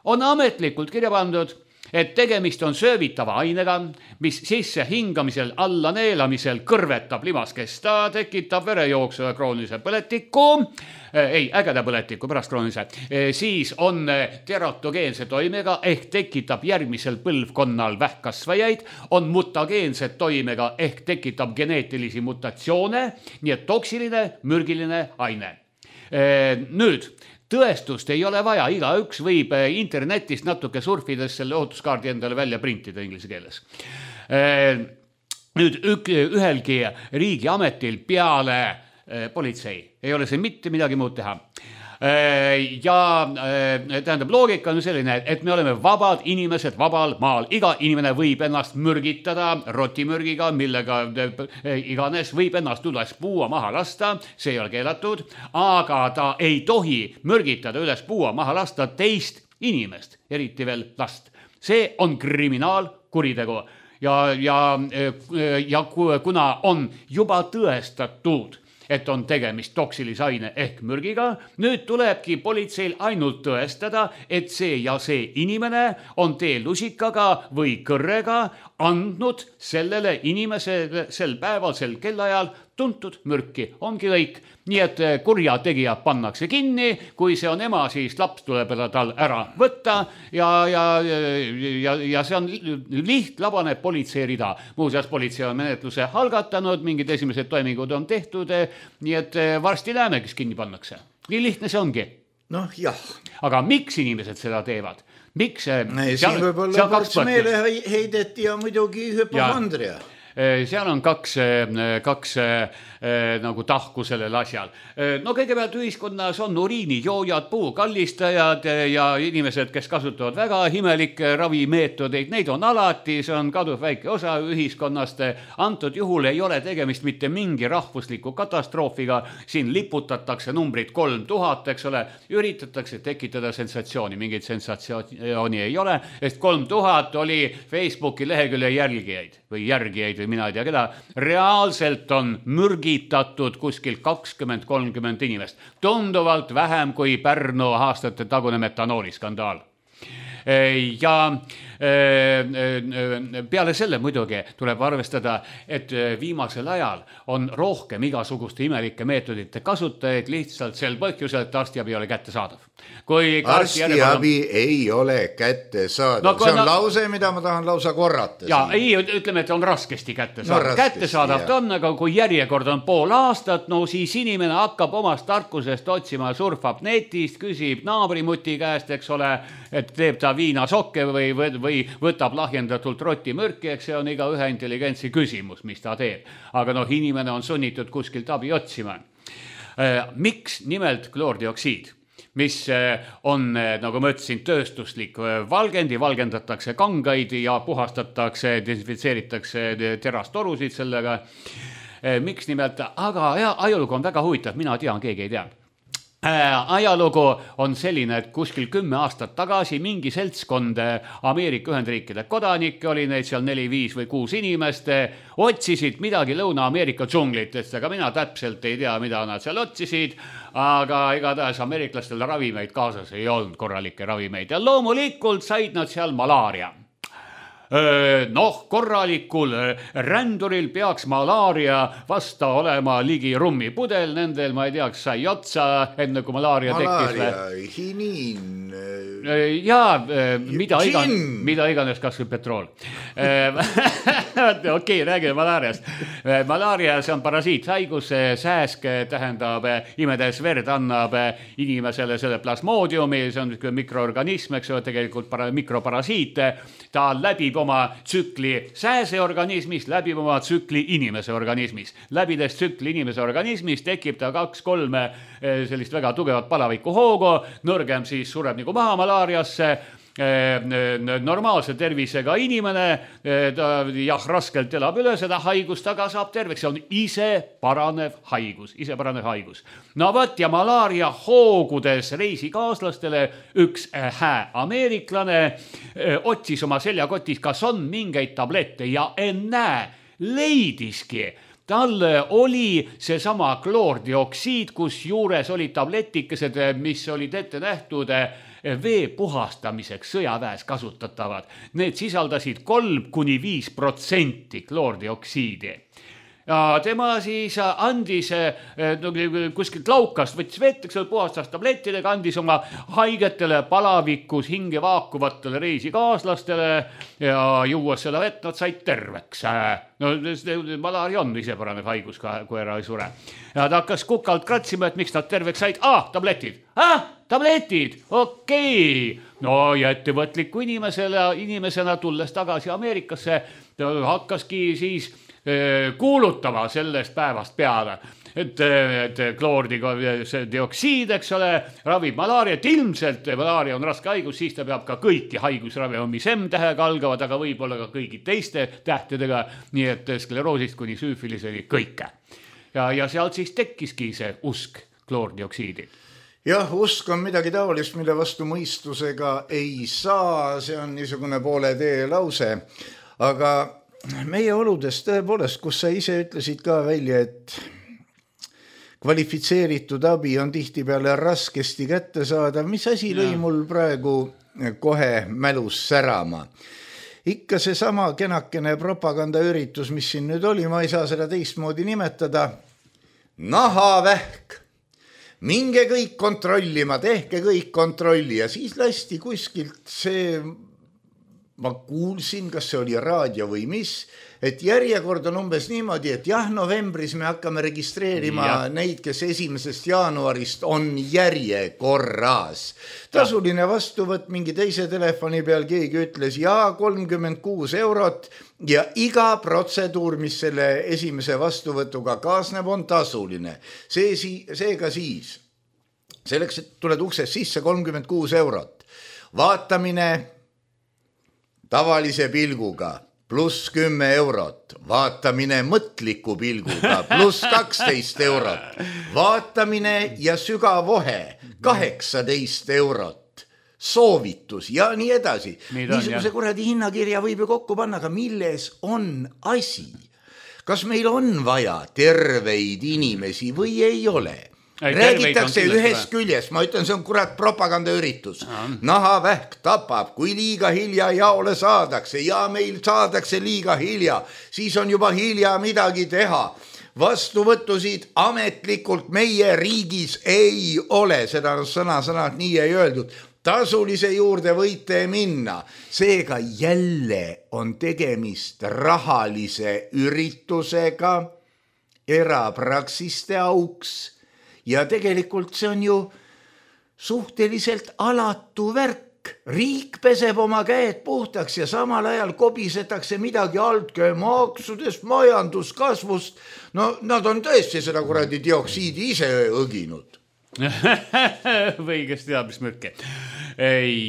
on ametlikult kirja pandud, et tegemist on söövitava ainega, mis sisse hingamisel, alla neelamisel kõrvetab limaskest, ta tekitab verejooksu ja kroonilise põletiku, ägeda põletiku pärast kroonilise, siis on teratogeense toimega ehk tekitab järgmisel põlvkonnal vähkkasvajaid, on mutageense toimega ehk tekitab geneetilisi mutatsioone, nii et toksiline, mürgiline aine. Nüüd, tõestust ei ole vaja, igaüks võib internetist natuke surfides selle ohutuskaardi endale välja printida inglise keeles. Nüüd ühelgi riigiametil peale politsei ei ole see mitte midagi muud teha. Ja tähendab, loogika on selline, et me oleme vabad inimesed vabal maal. Iga inimene võib ennast mürgitada rotimürgiga, millega iganes võib ennast üles puua maha lasta, see ei ole keelatud, aga ta ei tohi mürgitada üles puua maha lasta teist inimest, eriti veel last. See on kriminaalkuritegu ja kuna on juba tõestatud, et on tegemist toksilise aine ehk mürgiga. Nüüd tulebki politseil ainult tõestada, et see ja see inimene on teelusikaga või kõrrega andnud sellele inimesele sel päeval, sel kellaajal tuntud mürki. Ongi kõik. Nii et kurjategija pannakse kinni, kui see on ema, siis laps tuleb tal ära võtta ja see on lihtlabane politsei rida. Muuseas, politsei on menetluse algatanud, mingid esimesed toimingud on tehtud, nii et varsti näeme, kes kinni pannakse. Nii lihtne see ongi. Noh, jah. Aga miks inimesed seda teevad? Miks? Siin võib olla ports meeleheidet ja muidugi hüpokondria. Seal on kaks nagu tahku sellel asjal. No kõigepealt ühiskonnas on uriinijoojad, puukallistajad ja inimesed, kes kasutavad väga imelikke ravimeetodeid, neid on alati, see on kaduv väike osa ühiskonnast. Antud juhul ei ole tegemist mitte mingi rahvusliku katastroofiga, siin liputatakse numbrit 3000, eks ole, üritatakse tekitada sensatsiooni, mingit sensatsiooni ei ole, sest 3000 oli Facebooki lehekülje järgijaid või mina ei tea keda, reaalselt on mürgitatud kuskil 20-30 inimest. Tunduvalt vähem kui Pärnu aastate tagune metanooli skandaal. ja peale selle muidugi tuleb arvestada, et viimasel ajal on rohkem igasuguste imelike meetodite kasutajaid lihtsalt sel põhjusel, et arstiabi ei ole kättesaadav. Arstiabi ei ole kättesaadav. See on lause, mida ma tahan lausa korrata. Ja ei, ütleme, et on raskesti kättesaadav. Kättesaadav ta on, aga kui järjekord on pool aastat, no siis inimene hakkab omast tarkusest otsima, surfab netist, küsib naabrimuti käest, eks ole, et teeb ta viinasokke või võtab lahjendatult rotimürki, eks see on iga ühe intelligentsi küsimus, mis ta teeb. Aga inimene on sunnitud kuskilt abi otsima. Miks nimelt kloordioksiid? Mis on, nagu ma ütlesin, tööstuslik valgendi, valgendatakse kangaid ja puhastatakse, desinfitseeritakse terastorusid sellega. Miks nimelt? Aga ajalugu on väga huvitav, mina tean, keegi ei tea. Ajalugu on selline, et kuskil 10 aastat tagasi mingi seltskond Ameerika Ühendriikide kodanikke, oli neid seal 4, 5 või 6 inimest, otsisid midagi Lõuna-Ameerika džunglitest, aga mina täpselt ei tea, mida nad seal otsisid, aga igatahes ameeriklastel ravimeid kaasas ei olnud, korralikke ravimeid ja loomulikult said nad seal malaaria. Korralikul ränduril peaks malaaria vasta olema ligi rummipudel, nendel ma ei teaks, sai otsa enne kui malaaria tekkis. Malaaria, hiniin. Ja mida iganes, kas või petrool. Okei, räägime malaariast. Malaaria, see on parasiithaigus, sääsk tähendab imedes verd, annab inimesele selle plasmoodiumi, see on mikroorganism, eks ole, tegelikult mikroparasiit, ta läbib oma tsükli sääseorganismis, läbib oma tsükli inimese organismis. Läbides tsükli inimese organismis tekib ta 2-3 sellist väga tugevat palaviku hoogu, nõrgem siis sureb nagu maha malaariasse, normaalse tervisega inimene, ta raskelt elab üle seda haigust, aga saab terveks, see on ise paranev haigus. No võt, ja malaaria hoogudes reisikaaslastele üks ameeriklane otsis oma seljakotis, kas on mingeid tablette ja ennäe, leidiski. Tal oli seesama kloordioksiid, kus juures olid tabletikesed, mis olid ette nähtud vee puhastamiseks sõjaväes kasutatavad. Need sisaldasid 3-5% kloordioksiidi. Ja tema siis andis kuskilt laukast, võttis vett, puhastas tablettidega, andis oma haigetele palavikus hinge vaakuvatele reisikaaslastele ja juues seda vett, nad said terveks. No malaaria on ise paranev haigus, kui ära ei sure. Ja ta hakkas kukalt kratsima, et miks nad terveks said. Tabletid. Tabletid, okei. No ja ettevõtliku inimesena tulles tagasi Ameerikasse, hakkaski siis kuulutama sellest päevast peale, et kloordioksiid, eks ole, ravib malaariat, ilmselt malaaria on raske haigus, siis ta peab ka kõiki haigusravima, mis M-tähega algavad, aga võib-olla ka kõigi teiste tähtedega, nii et skleroosist kuni süüfiliseni kõike. Ja sealt siis tekkiski see usk kloordioksiidi. Jah, usk on midagi taolist, mille vastu mõistusega ei saa, see on niisugune poole tee lause, aga meie oludes tõepoolest, kus sa ise ütlesid ka välja, et kvalifitseeritud abi on tihtipeale raskesti kätte saada. Mis asi lõi mul praegu kohe mälus särama? Ikka see sama kenakene propagandaüritus, mis siin nüüd oli, ma ei saa seda teistmoodi nimetada. Nahavähk. Minge kõik kontrollima, tehke kõik kontrolli ja siis lasti kuskilt see... Ma kuulsin, kas see oli raadio või mis, et järjekord on umbes niimoodi, et novembris me hakkame registreerima neid, kes 1. jaanuarist on järjekorras. Tasuline vastuvõtt mingi teise telefoni peal keegi ütles 36 eurot ja iga protseduur, mis selle esimese vastuvõtuga kaasneb, on tasuline. Seega siis, selleks, et tuled uksest sisse 36 eurot, vaatamine tavalise pilguga pluss 10 eurot, vaatamine mõtliku pilguga pluss 12 eurot, vaatamine ja sügavohe 18 eurot, soovitus ja nii edasi. Niisuguse kuradi hinnakirja võib ju kokku panna, aga milles on asi? Kas meil on vaja terveid inimesi või ei ole? räägitakse ühest küljest, ma ütlen, see on kurat propagandaüritus. Nahavähk tapab, kui liiga hilja jaole saadakse ja meil saadakse liiga hilja, siis on juba hilja midagi teha. Vastuvõttusid ametlikult meie riigis ei ole, seda sõna-sõnad nii ei öeldud. Tasulise juurde võite minna, seega jälle on tegemist rahalise üritusega, erapraksiste auks ja tegelikult see on ju suhteliselt alatu värk. Riik peseb oma käed puhtaks ja samal ajal kobisetakse midagi altkäe maksudest, majanduskasvust. No nad on tõesti seda kuradi dioksiidi ise õginud. Või kes teab, mis mürke.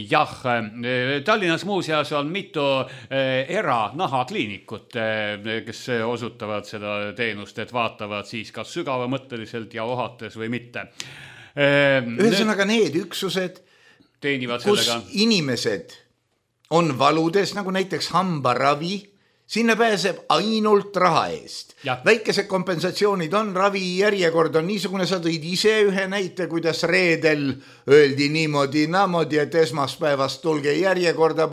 Jah, Tallinnas muuseas on mitu eranahakliinikut, kes osutavad seda teenust, et vaatavad siis kas sügavamõtteliselt ja ohates või mitte. Ühesõnaga need üksused, teenivad kus sellega. Inimesed on valudes, nagu näiteks hambaravi, sinna pääseb ainult raha eest. Ja. Väikesed kompensatsioonid on, ravi järjekord on niisugune, sa tõid ise ühe näite, kuidas reedel öeldi niimoodi, et esmaspäevast tulge järjekorda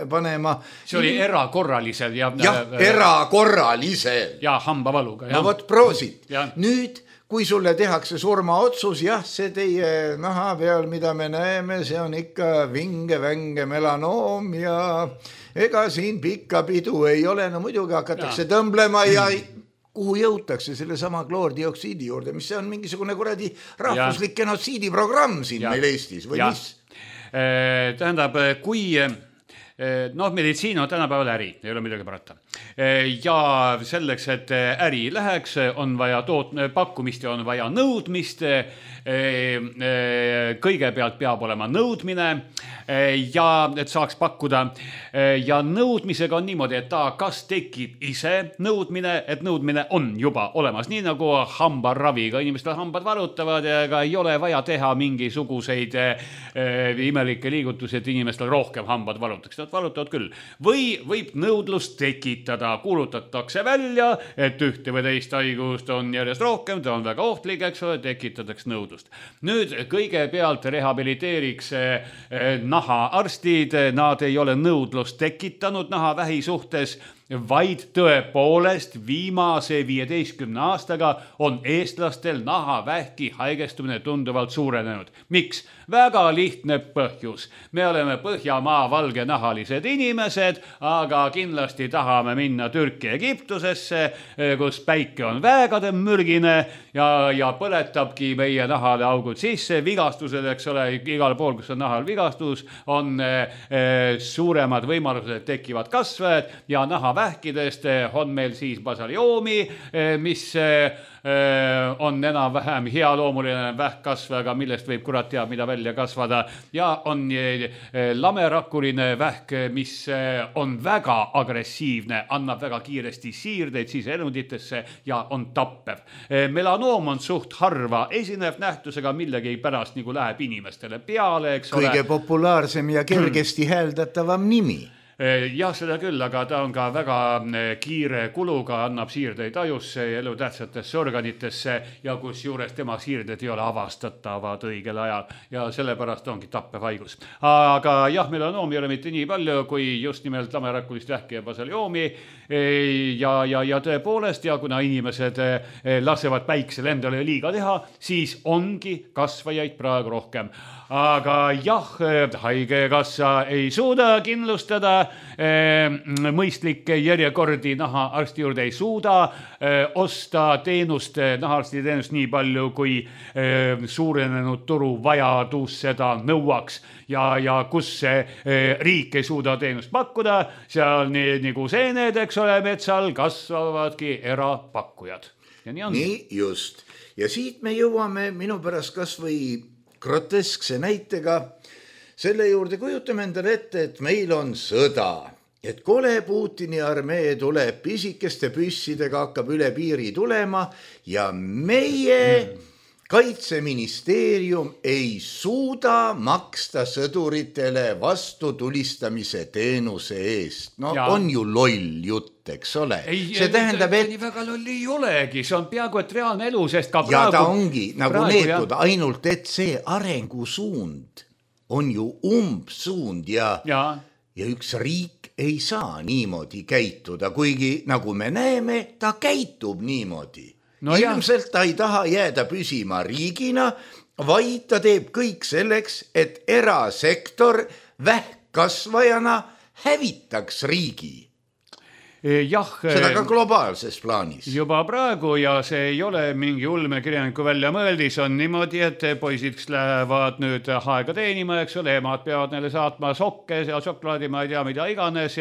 panema. See oli erakorralisel. Ja erakorralisel. Ja hambavaluga. No vot, proosit. Ja. Nüüd, kui sulle tehakse surmaotsus, jah, see teie naha peal, mida me näeme, see on ikka vinge-vänge melanoom ja ega siin pikka pidu ei ole, no muidugi hakatakse tõmblema ja kuhu jõutakse selle sama kloordioksiidi juurde, mis see on mingisugune kuradi rahvuslik genotsiidiprogramm siin meil Eestis või mis? Tähendab, kui meditsiin on tänapäeval äri, ei ole midagi parata. Ja selleks, et äri läheks, on vaja pakkumist ja on vaja nõudmist. Kõigepealt peab olema nõudmine ja et saaks pakkuda. Ja nõudmisega on niimoodi, et ta kas tekib ise nõudmine, et nõudmine on juba olemas. Nii nagu hambaraviga, inimestel hambad valutavad ja ega ei ole vaja teha mingisuguseid imelikke liigutusi, et inimestel rohkem hambad valutaks. Nad valutavad küll. Või võib nõudlust tekitada, kuulutatakse välja, et ühte või teist haigust on järjest rohkem, ta on väga ohtlik, eks ole, tekitatakse nõudlust. Nüüd kõigepealt rehabiliteeriks nahaarstid, nad ei ole nõudlust tekitanud nahavähi suhtes, vaid tõepoolest viimase 15 aastaga on eestlastel nahavähki haigestumine tunduvalt suurenenud. Miks? Väga lihtne põhjus. Me oleme Põhjamaa valgenahalised inimesed, aga kindlasti tahame minna Türki Egiptusesse, kus päike on väegade mürgine ja põletabki meie nahale augud sisse. Vigastused, eks ole, igal pool, kus on nahal vigastus, on suuremad võimalused, tekivad kasvajad ja nahavähkidest on meil siis basaliomi, mis on enam-vähem healoomuline vähkkasvajaga, millest võib kurat teab, mida välja kasvada. Ja on lamerakuline vähk, mis on väga agressiivne, annab väga kiiresti siirdeid siseelunditesse ja on tappev. Melanoom on suht harva esinev nähtusega, millegi pärast nagu läheb inimestele peale, eks ole. Kõige populaarsem ja kergesti hääldatavam nimi. Jah, seda küll, aga ta on ka väga kiire kuluga, annab siirdeid ajusse ja elutähtsatesse organitesse ja kus juures tema siirded ei ole avastatavad õigel ajal ja sellepärast ongi tappev haigus. Aga jah, melanoomi ei ole mitte nii palju kui just nimelt lamerakulist vähki ja basaliomi ja tõepoolest ja kuna inimesed lasevad päiksel endale liiga teha, siis ongi kasvajaid praegu rohkem. Aga jah, haigekassa ei suuda kindlustada, mõistlikke järjekordi nahaarsti juurde ei suuda osta teenust, nahaarsti teenust nii palju, kui suurenenud turu vajadus seda nõuaks ja kus riik ei suuda teenust pakkuda, seal nii nagu seened, eks ole, metsal kasvavadki erapakkujad. Ja nii on. Nii just. Ja siit me jõuame minu pärast kas või groteskse näitega selle juurde, kujutame endale ette, et meil on sõda, et kole Putini armee tuleb pisikeste püssidega, hakkab üle piiri tulema ja meie Kaitseministeerium ei suuda maksta sõduritele vastutulistamise teenuse eest. No ja. On ju loll jutt. jutt, eks ole. See tähendab, et... Nii väga lolli ei olegi, see on peaaegu et reaalne elu, sest ka ja praegu... ta ongi nagu neetud, ainult et see arengusuund on ju umbsuund ja üks riik ei saa niimoodi käituda, kuigi nagu me näeme, ta käitub niimoodi. Ilmselt ta ei taha jääda püsima riigina, vaid ta teeb kõik selleks, et erasektor vähkkasvajana hävitaks riigi. Seda ka globaalses plaanis. Juba praegu ja see ei ole mingi ulmekirjaniku välja mõeldis, on niimoodi, et poisid lähevad nüüd aega teenima, eks ole, emad peavad neile saatma sokke ja šokolaadi, ma ei tea, mida iganes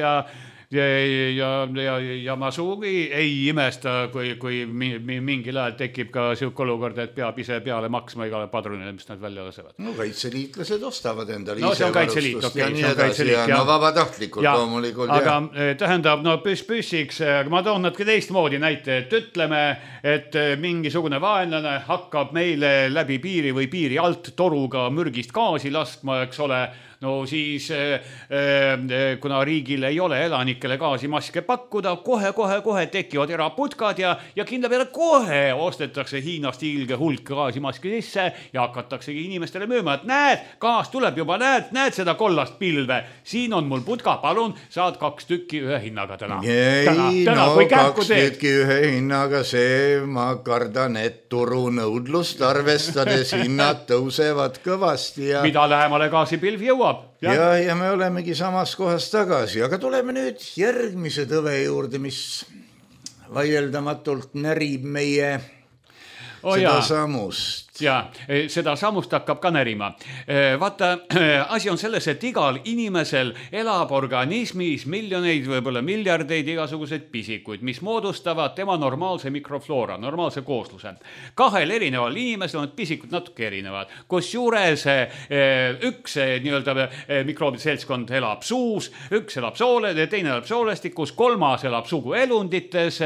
ja ma suugi ei imesta, kui mingil ajal tekib ka siuke olukord, et peab ise peale maksma igale padrunile, mis nad välja lasevad. No kaitseliitlased ostavad endale ise varustust ja nii edasi. No vabatahtlikult loomulikult. Aga tähendab, püssiks, ma toon natuke teistmoodi näite, et ütleme, et mingisugune vaenlane hakkab meile läbi piiri või piiri alt toruga mürgist gaasi laskma, eks ole. No siis, kuna riigil ei ole elanikele gaasimaske pakkuda, kohe tekivad eraputkad ja kindla peale kohe ostetakse Hiinast ilge hulk gaasimaski sisse ja hakataksegi inimestele müüma, et näed, gaas tuleb juba, näed seda kollast pilve. Siin on mul putka, palun, saad 2 tükki ühe hinnaga täna. Täna, 2 tükki ühe hinnaga, see ma kardan, et turu nõudlust arvestades hinnad tõusevad kõvasti. Mida lähemale gaasipilv jõuab. Ja me olemegi samas kohas tagasi, aga tuleme nüüd järgmise tõve juurde, mis vaieldamatult närib meie seda samust. Ja seda samust hakkab ka närima. Vaata, asi on selles, et igal inimesel elab organismis miljoneid, võib-olla miljardeid igasuguseid pisikuid, mis moodustavad tema normaalse mikrofloora, normaalse koosluse. 2 erineval inimesel on pisikud natuke erinevad, kus juures üks mikroobide seltskond elab suus, üks elab teine elab soolestikus, 3. elab suguelundites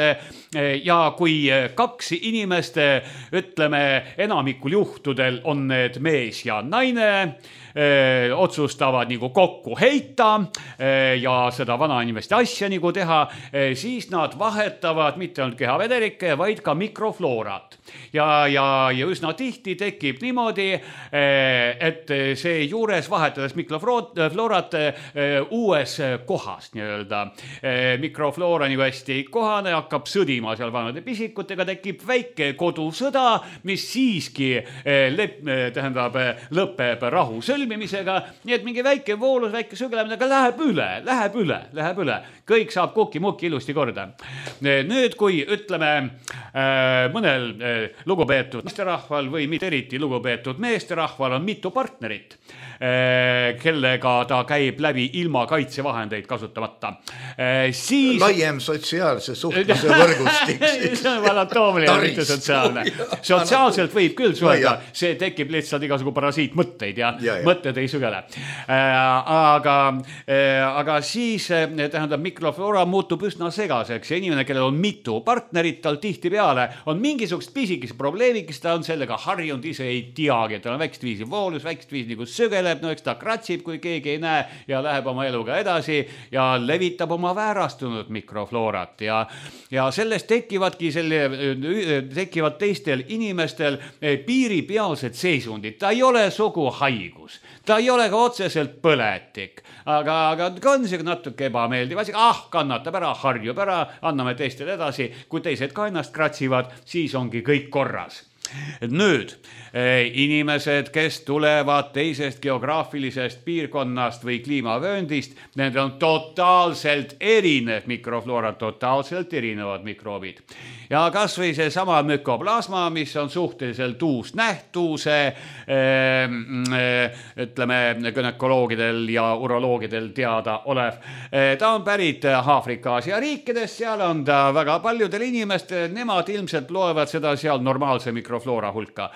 ja kui 2 inimest, ütleme, enamikul juhtudel on need mees ja naine, otsustavad nagu kokku heita ja seda vanainimeste asja nagu teha, siis nad vahetavad mitte ainult kehavedelikke, vaid ka mikrofloorat. Ja üsna tihti tekib niimoodi, et see juures vahetades mikrofloorat uues kohas nii-öelda. Mikrofloora nagu hästi kohane, hakkab sõdima seal vanade pisikutega, tekib väike kodusõda, mis siiski lõpeb rahu sõlmimisega, nii et mingi väike voolus, väike sügelemine, aga läheb üle. Kõik saab kukki-mukki ilusti korda. Nüüd, kui ütleme mõnel lugupeetud meesterahval või mitte eriti lugupeetud meesterahval on mitu partnerit, kellega ta käib läbi ilma kaitsevahendeid kasutamata, siis... Laiem sotsiaalse suhtluse võrgustik. See on anatoomiline, mitte sotsiaalne. Sotsiaalselt võib küll suhelda, see tekib lihtsalt igasugu parasiitmõtteid ja mõtted ei sügele. Aga siis tähendab, mikrofloora muutub üsna segaseks ja inimene, kellel on mitu partnerit, tal tihti peale on mingisugust pisikest probleemikest, ta on sellega harjunud, ise ei teagi, et tal on väikest viisi voolus, väikest viisi nagu sügeleb, no eks ta kratsib, kui keegi ei näe ja läheb oma eluga edasi ja levitab oma väärastunud mikrofloorat ja sellest tekivad teistel inimestel piiripealsed seisundid, ta ei ole sugu haigus, ta ei ole ka otseselt põletik, aga on see natuke ebameeldiv asi, kannatab ära, harjub ära, anname teistele edasi, kui teised ka ennast kratsivad, siis ongi kõik korras. Nüüd, inimesed, kes tulevad teisest geograafilisest piirkonnast või kliimavööndist, need on totaalselt erinev mikrofloora, totaalselt erinevad mikroobid. Ja kas või see sama mükoplasma, mis on suhteliselt uus nähtuse, ütleme, gynekoloogidel ja uroloogidel teada olev. Ta on pärit Aafrika-Aasia riikidest, seal on ta väga paljudel inimestel, nemad ilmselt loevad seda seal normaalse mikrofloora mikrofloora hulka.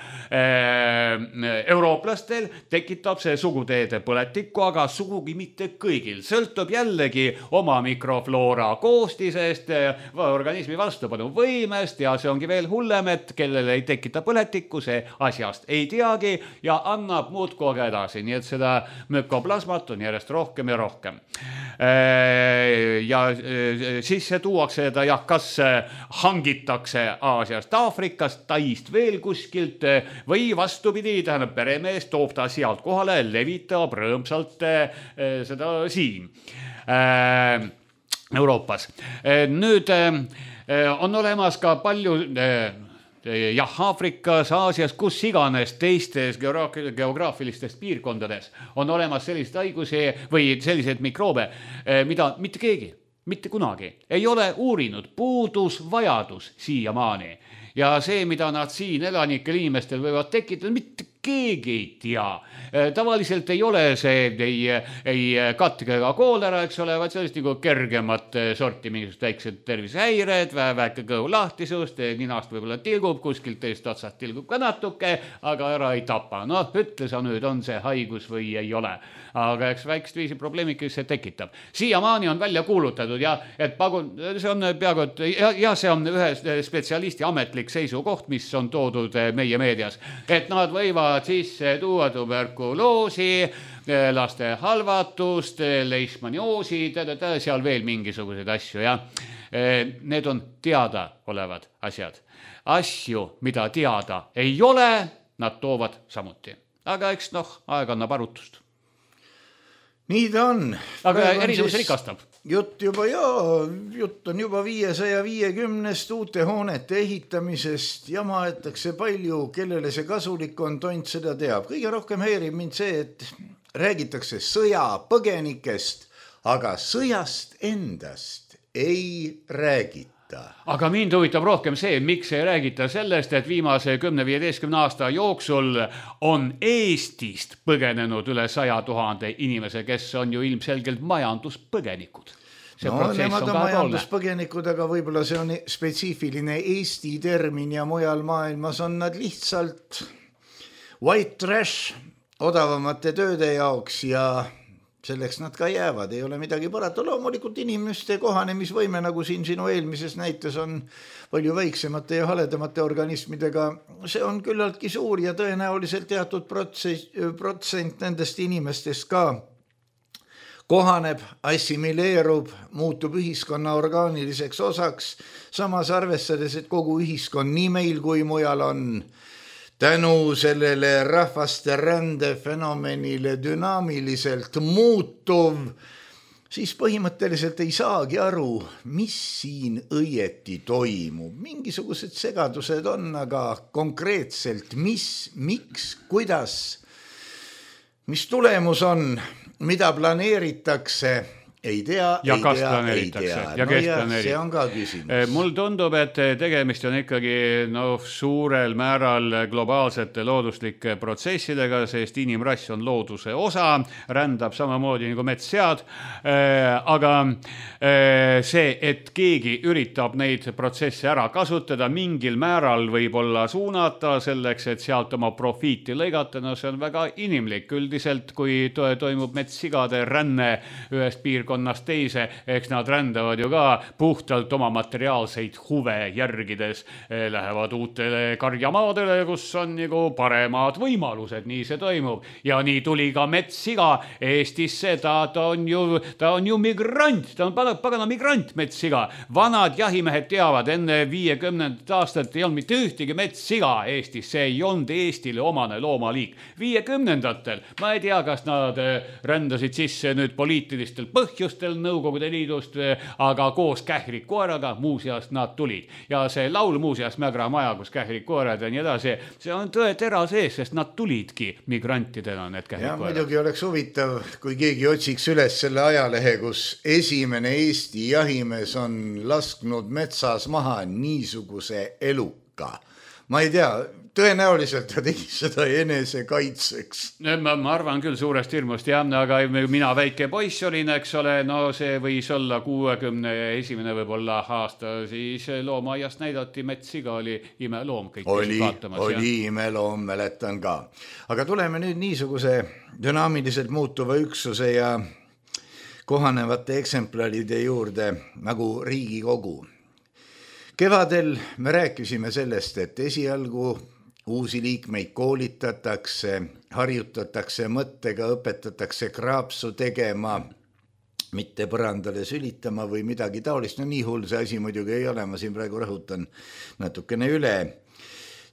Eurooplastel tekitab see suguteede põletikku, aga sugugi mitte kõigil. Sõltub jällegi oma mikrofloora koostisest, organismi vastupanu võimest ja see ongi veel hullem, et kellele ei tekita põletikku, see asjast ei teagi ja annab muudkui aga edasi. Nii et seda mükoplasmat on järjest rohkem ja rohkem. Ja siis see tuuakse ta kas hangitakse Aasiast, Aafrikast, Taist veel kuskilt või vastupidi, tähendab peremees toob ta sealt kohale, levitab rõõmsalt seda siin Euroopas. Nüüd on olemas ka palju Aafrikas, Aasias, kus iganes teistes geograafilistes piirkondades on olemas sellised haigusi või sellised mikroobe, mida mitte keegi, mitte kunagi ei ole uurinud, puudus vajadus siiamaani. Ja see, mida nad siin elanikel inimestel võivad tekitada, mitte keegi ei tea. Tavaliselt ei ole see ei katk ega koolera, eks ole, vaid sellist nagu kergemat sorti mingisugust väiksed tervisehäired, väike kõhu lahtisust, ninast võib-olla tilgub, kuskilt teist otsast tilgub ka natuke, aga ära ei tapa. Noh, ütle sa nüüd, on see haigus või ei ole. Aga eks väikest viisi probleemikki see tekitab. Siiamaani on välja kuulutatud ja et see on peaaegu, ja see on ühe spetsialisti ametlik seisukoht, mis on toodud meie meedias, et nad võivad sisse tuua tuberkuloosi, laste halvatust, leishmanioosi, seal veel mingisuguseid asju ja need on teada olevad asjad. Asju, mida teada ei ole, nad toovad samuti. Aga eks aeg annab arutust. Nii ta on. Aga erinevus rikastab. Jutt on juba 550 uute hoonete ehitamisest ja maetakse palju, kellele see kasulik on, tont seda teab. Kõige rohkem häirib mind see, et räägitakse sõjapõgenikest, aga sõjast endast ei räägita. Aga mind huvitab rohkem see, miks ei räägita sellest, et viimase 10-15 aasta jooksul on Eestist põgenenud üle 100 000 inimese, kes on ju ilmselgelt majanduspõgenikud. Nemad on majanduspõgenikud, aga võib-olla see on spetsiifiline Eesti termin ja mujal maailmas on nad lihtsalt white trash odavamate tööde jaoks ja selleks nad ka jäävad, ei ole midagi parata. Loomulikult inimeste kohanemisvõime, nagu siin sinu eelmises näites on palju väiksemate ja haledamate organismidega, see on küllaltki suur ja tõenäoliselt teatud protsent nendest inimestest ka kohaneb, assimileerub, muutub ühiskonna orgaaniliseks osaks, samas arvestades, et kogu ühiskond nii meil kui mujal on tänu sellele rahvaste rände fenomenile dünaamiliselt muutuv, siis põhimõtteliselt ei saagi aru, mis siin õieti toimub. Mingisugused segadused on, aga konkreetselt miks, kuidas, mis tulemus on, mida planeeritakse, ei tea. Ja kas planeeritakse. See on ka küsimus. Mul tundub, et tegemist on ikkagi suurel määral globaalsete looduslike protsessidega, sest inimrass on looduse osa, rändab samamoodi nagu metssead, aga see, et keegi üritab neid protsesse ära kasutada, mingil määral võib-olla suunata selleks, et sealt oma profiiti lõigata, see on väga inimlik. Üldiselt, kui toimub metssigade ränne ühest piirkonnast teise, eks nad rändavad ju ka puhtalt oma materiaalseid huve järgides, lähevad uutele karjamaadele, kus on nagu paremad võimalused, nii see toimub. Ja nii tuli ka metssiga Eestisse, ta on ju migrant, ta on pagana migrant metssiga. Vanad jahimehed teavad, enne 50 aastat ei olnud mitte ühtegi metssiga Eestis, see ei olnud Eestile omane loomaliik. 50-ndatel, ma ei tea, kas nad rändasid sisse nüüd poliitilistel põhjustel Nõukogude Liidust, aga koos kährikkoeraga muuseas nad tulid. Ja see laul muuseas Mägra maja, kus kährikkoerad ja nii edasi, see on tõe tera sees, sest nad tulidki migrantidena need kährikkoerad. Ja muidugi oleks huvitav, kui keegi otsiks üles selle ajalehe, kus esimene Eesti jahimees on lasknud metsas maha niisuguse eluka. ma ei tea, tõenäoliselt ta tegi seda enese kaitseks. Ma arvan küll suurest hirmust, jah, aga mina väike poiss olin, eks ole, no see võis olla 61. võib-olla aasta, siis loomaaiast näidati Metssiga, oli imeloom. Oli imeloom, mäletan ka. Aga tuleme nüüd niisuguse dünaamiliselt muutuva üksuse ja kohanevate eksemplaride juurde nagu Riigikogu. Kevadel me rääkisime sellest, et esialgu uusi liikmeid koolitatakse, harjutatakse mõttega, õpetatakse kraapsu tegema, mitte põrandale sülitama või midagi taolist. No nii hull see asi muidugi ei ole, ma siin praegu rõhutan natukene üle.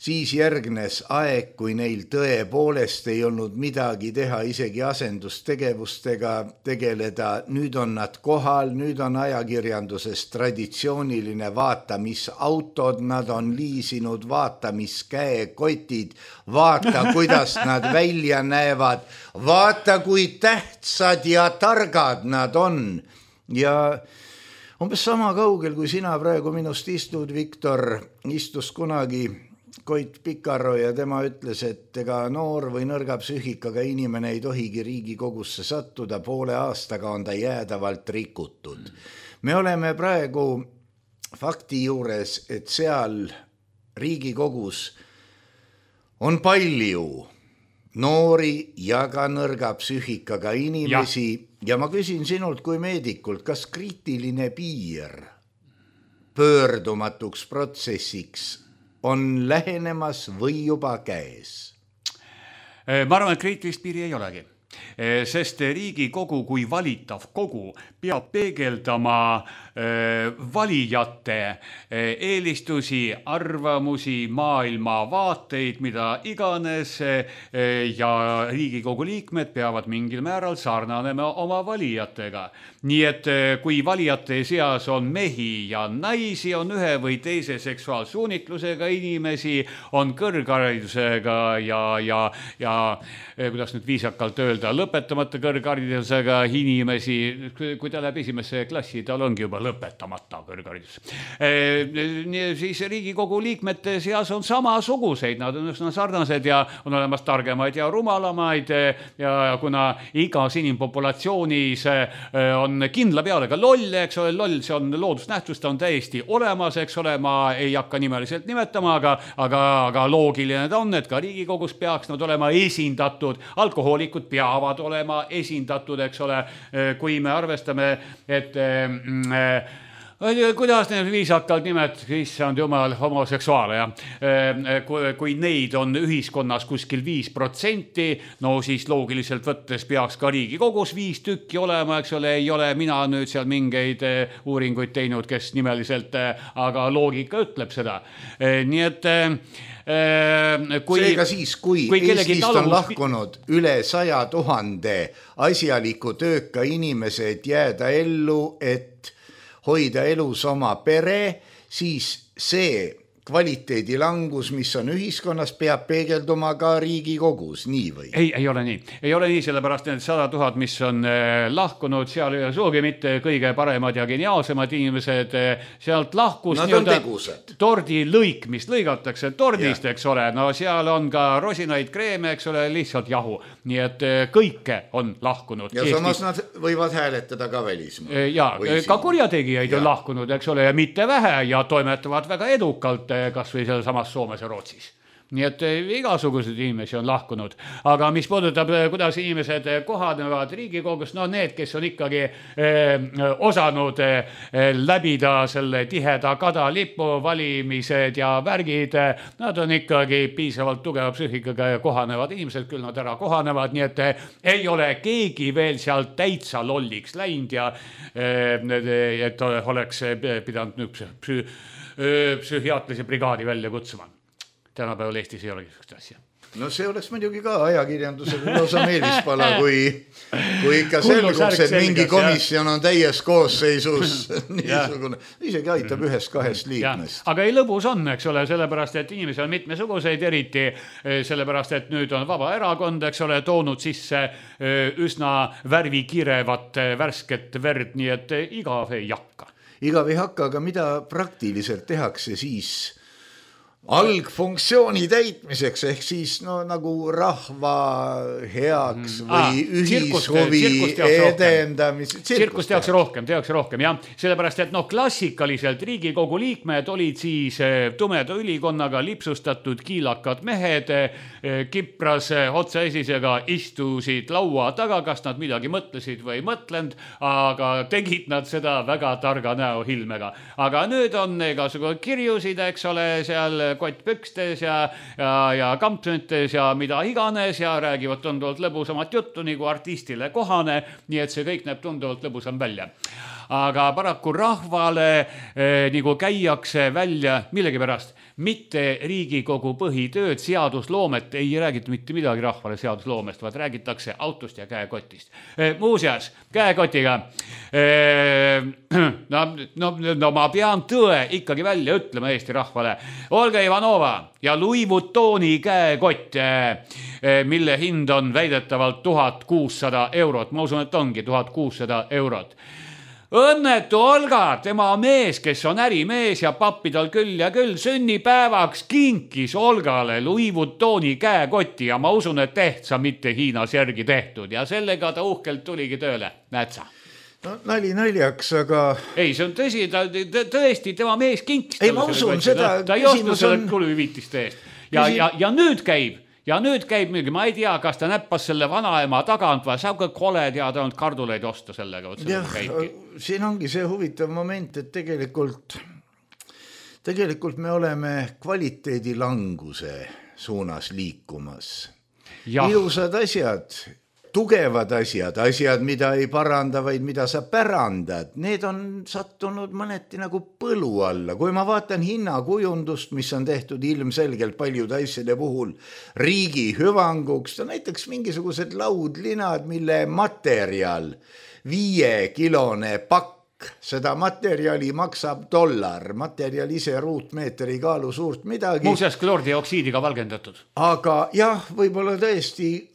Siis järgnes aeg, kui neil tõepoolest ei olnud midagi teha, isegi asendustegevustega tegeleda. Nüüd on nad kohal, nüüd on ajakirjanduses traditsiooniline vaata, mis autod nad on liisinud, vaata, mis käekotid, vaata, kuidas nad välja näevad, vaata, kui tähtsad ja targad nad on. Ja umbes sama kaugel, kui sina praegu minust istud, Viktor, istus kunagi Koit Pikaro ja tema ütles, et ega noor või nõrga psüühikaga inimene ei tohigi Riigikogusse sattuda, poole aastaga on ta jäädavalt rikutud. Me oleme praegu fakti juures, et seal Riigikogus on palju noori ja ka nõrga psüühikaga inimesi ja ma küsin sinult kui meedikult, kas kriitiline piir pöördumatuks protsessiks on lähenemas või juba käes? Ma arvan, et kriitilist piiri ei olegi, sest Riigikogu kui valitav kogu peab peegeldama valijate eelistusi, arvamusi, maailmavaateid, mida iganes ja Riigikogu liikmed peavad mingil määral sarnanema oma valijatega. Nii et kui valijate seas on mehi ja naisi, on ühe või teise seksuaalsuunitlusega inimesi, on kõrgharidusega ja kuidas nüüd viisakalt öelda, lõpetamata kõrgharidusega inimesi, kui ta läheb esimesse klassi, tal ongi juba lõpetamata kõrgharidus. Siis Riigikogu liikmete seas on samasuguseid, nad on üsna sarnased ja on olemas targemaid ja rumalamaid ja kuna igas inimpopulatsioonis on kindla peale ka loll, eks ole, loll, see on loodusnähtus, ta on täiesti olemas, eks ole, ma ei hakka nimeliselt nimetama, aga loogiline ta on, et ka Riigikogus peaks nad olema esindatud, alkohoolikud peavad olema esindatud, eks ole, kui me arvestame, et kuidas need viisakalt nimed, issand jumal, homoseksuaale, kui neid on ühiskonnas kuskil 5%, no siis loogiliselt võttes peaks ka Riigikogus 5 tükki olema, eks ole, ei ole mina nüüd seal mingeid uuringuid teinud, kes nimeliselt, aga loogika ütleb seda. Nii et seega siis, kui Eestist on lahkunud üle 100 000 asjaliku tööka inimesed jääda ellu, et hoida elus oma pere, siis see kvaliteedi langus, mis on ühiskonnas, peab peegelduma ka Riigikogus, nii või? Ei ole nii. Ei ole nii, sellepärast need 100 000, mis on lahkunud, seal ei ole suugi mitte kõige paremad ja geniaalsemad inimesed, sealt lahkus tordi lõik, mis lõigatakse tordist, eks ole, no seal on ka rosinaid, kreeme, eks ole, lihtsalt jahu. Nii et kõike on lahkunud. Ja samas nad võivad hääletada ka välismaa. Ja ka kurjategijaid on lahkunud, eks ole, ja mitte vähe ja toimetavad väga edukalt kas või seal samas Soomes ja Rootsis. Nii et igasugused inimesi on lahkunud. Aga mis puudutab, kuidas inimesed kohanevad Riigikogus, no need, kes on ikkagi osanud läbida selle tiheda kadalipu valimised ja värgid, nad on ikkagi piisavalt tugeva psüühikaga ja kohanevad inimesed, küll nad ära kohanevad, nii et ei ole keegi veel seal täitsa lolliks läinud ja et oleks pidanud nüüd psühhiaatlise brigaadi välja kutsuma. Tänapäeval Eestis ei ole niisugust asja. No see oleks muidugi ka ajakirjandusega lausa meelispala, kui ikka selguks, et mingi komisjon on täies koosseisus niisugune, isegi aitab 1-2 liikmest. Aga ei lõbus on, eks ole, sellepärast, et inimesi on mitmesuguseid, eriti sellepärast, et nüüd on vaba erakond, eks ole, toonud sisse üsna värvikirevat värsket verd, nii et igav ei hakka. Igav ei hakka, aga mida praktiliselt tehakse siis algfunktsiooni täitmiseks ehk siis no nagu rahva heaks või ühishuvi edendamiseks. Tsirkust tehakse rohkem, jah. Sellepärast, et klassikaliselt Riigikogu liikmed olid siis tumeda ülikonnaga lipsustatud kiilakad mehed, kipras otsaesisega istusid laua taga, kas nad midagi mõtlesid või ei mõtlenud, aga tegid nad seda väga targa näohilmega. Aga nüüd on igasugu kirjusid, eks ole, seal kottpükstes ja kampsüntes ja mida iganes ja räägivad tunduvalt lõbusamat juttu nagu artistile kohane, nii et see kõik näeb tunduvalt lõbusam välja. Aga paraku rahvale nagu käiakse välja millegipärast mitte Riigikogu põhitööd, seadusloomet, ei räägita mitte midagi rahvale seadusloomest, vaid räägitakse autost ja käekotist. Muuseas, käekotiga, no ma pean tõe ikkagi välja ütlema Eesti rahvale. Olga Ivanova ja Louis Vuittoni käekott, mille hind on väidetavalt 1600 €. Ma usun, et ongi 1600 €. Õnnetu Olga, tema mees, kes on ärimees ja pappi tal küll ja küll, sünnipäevaks kinkis Olgale Louis Vuittoni käekoti ja ma usun, et tehtsa mitte Hiinas järgi tehtud ja sellega ta uhkelt tuligi tööle. Näed sa? No nali naljaks, aga... Ei, see on tõsi, tõesti, tema mees kinkis. Ei, ma usun seda. Ta ei ostu selle kuluvitiste eest. Ja nüüd käib. Ja nüüd käib mingi, ma ei tea, kas ta näppas selle vanaema tagant või saab ka kole teada olnud karduleid osta sellega. Jah, siin ongi see huvitav moment, et tegelikult me oleme kvaliteedi languse suunas liikumas. Ilusad asjad, tugevad asjad, mida ei paranda, vaid mida sa pärandad, need on sattunud mõneti nagu põlu alla. Kui ma vaatan hinnakujundust, mis on tehtud ilmselgelt paljude asjade puhul riigi hüvanguks, näiteks mingisugused laudlinad, mille materjal 5-kilone pakk, seda materjali maksab $, materjal ise ruutmeeter ei kaalu suurt midagi. Muuseas kloordioksiidiga valgendatud. Aga jah, võib-olla tõesti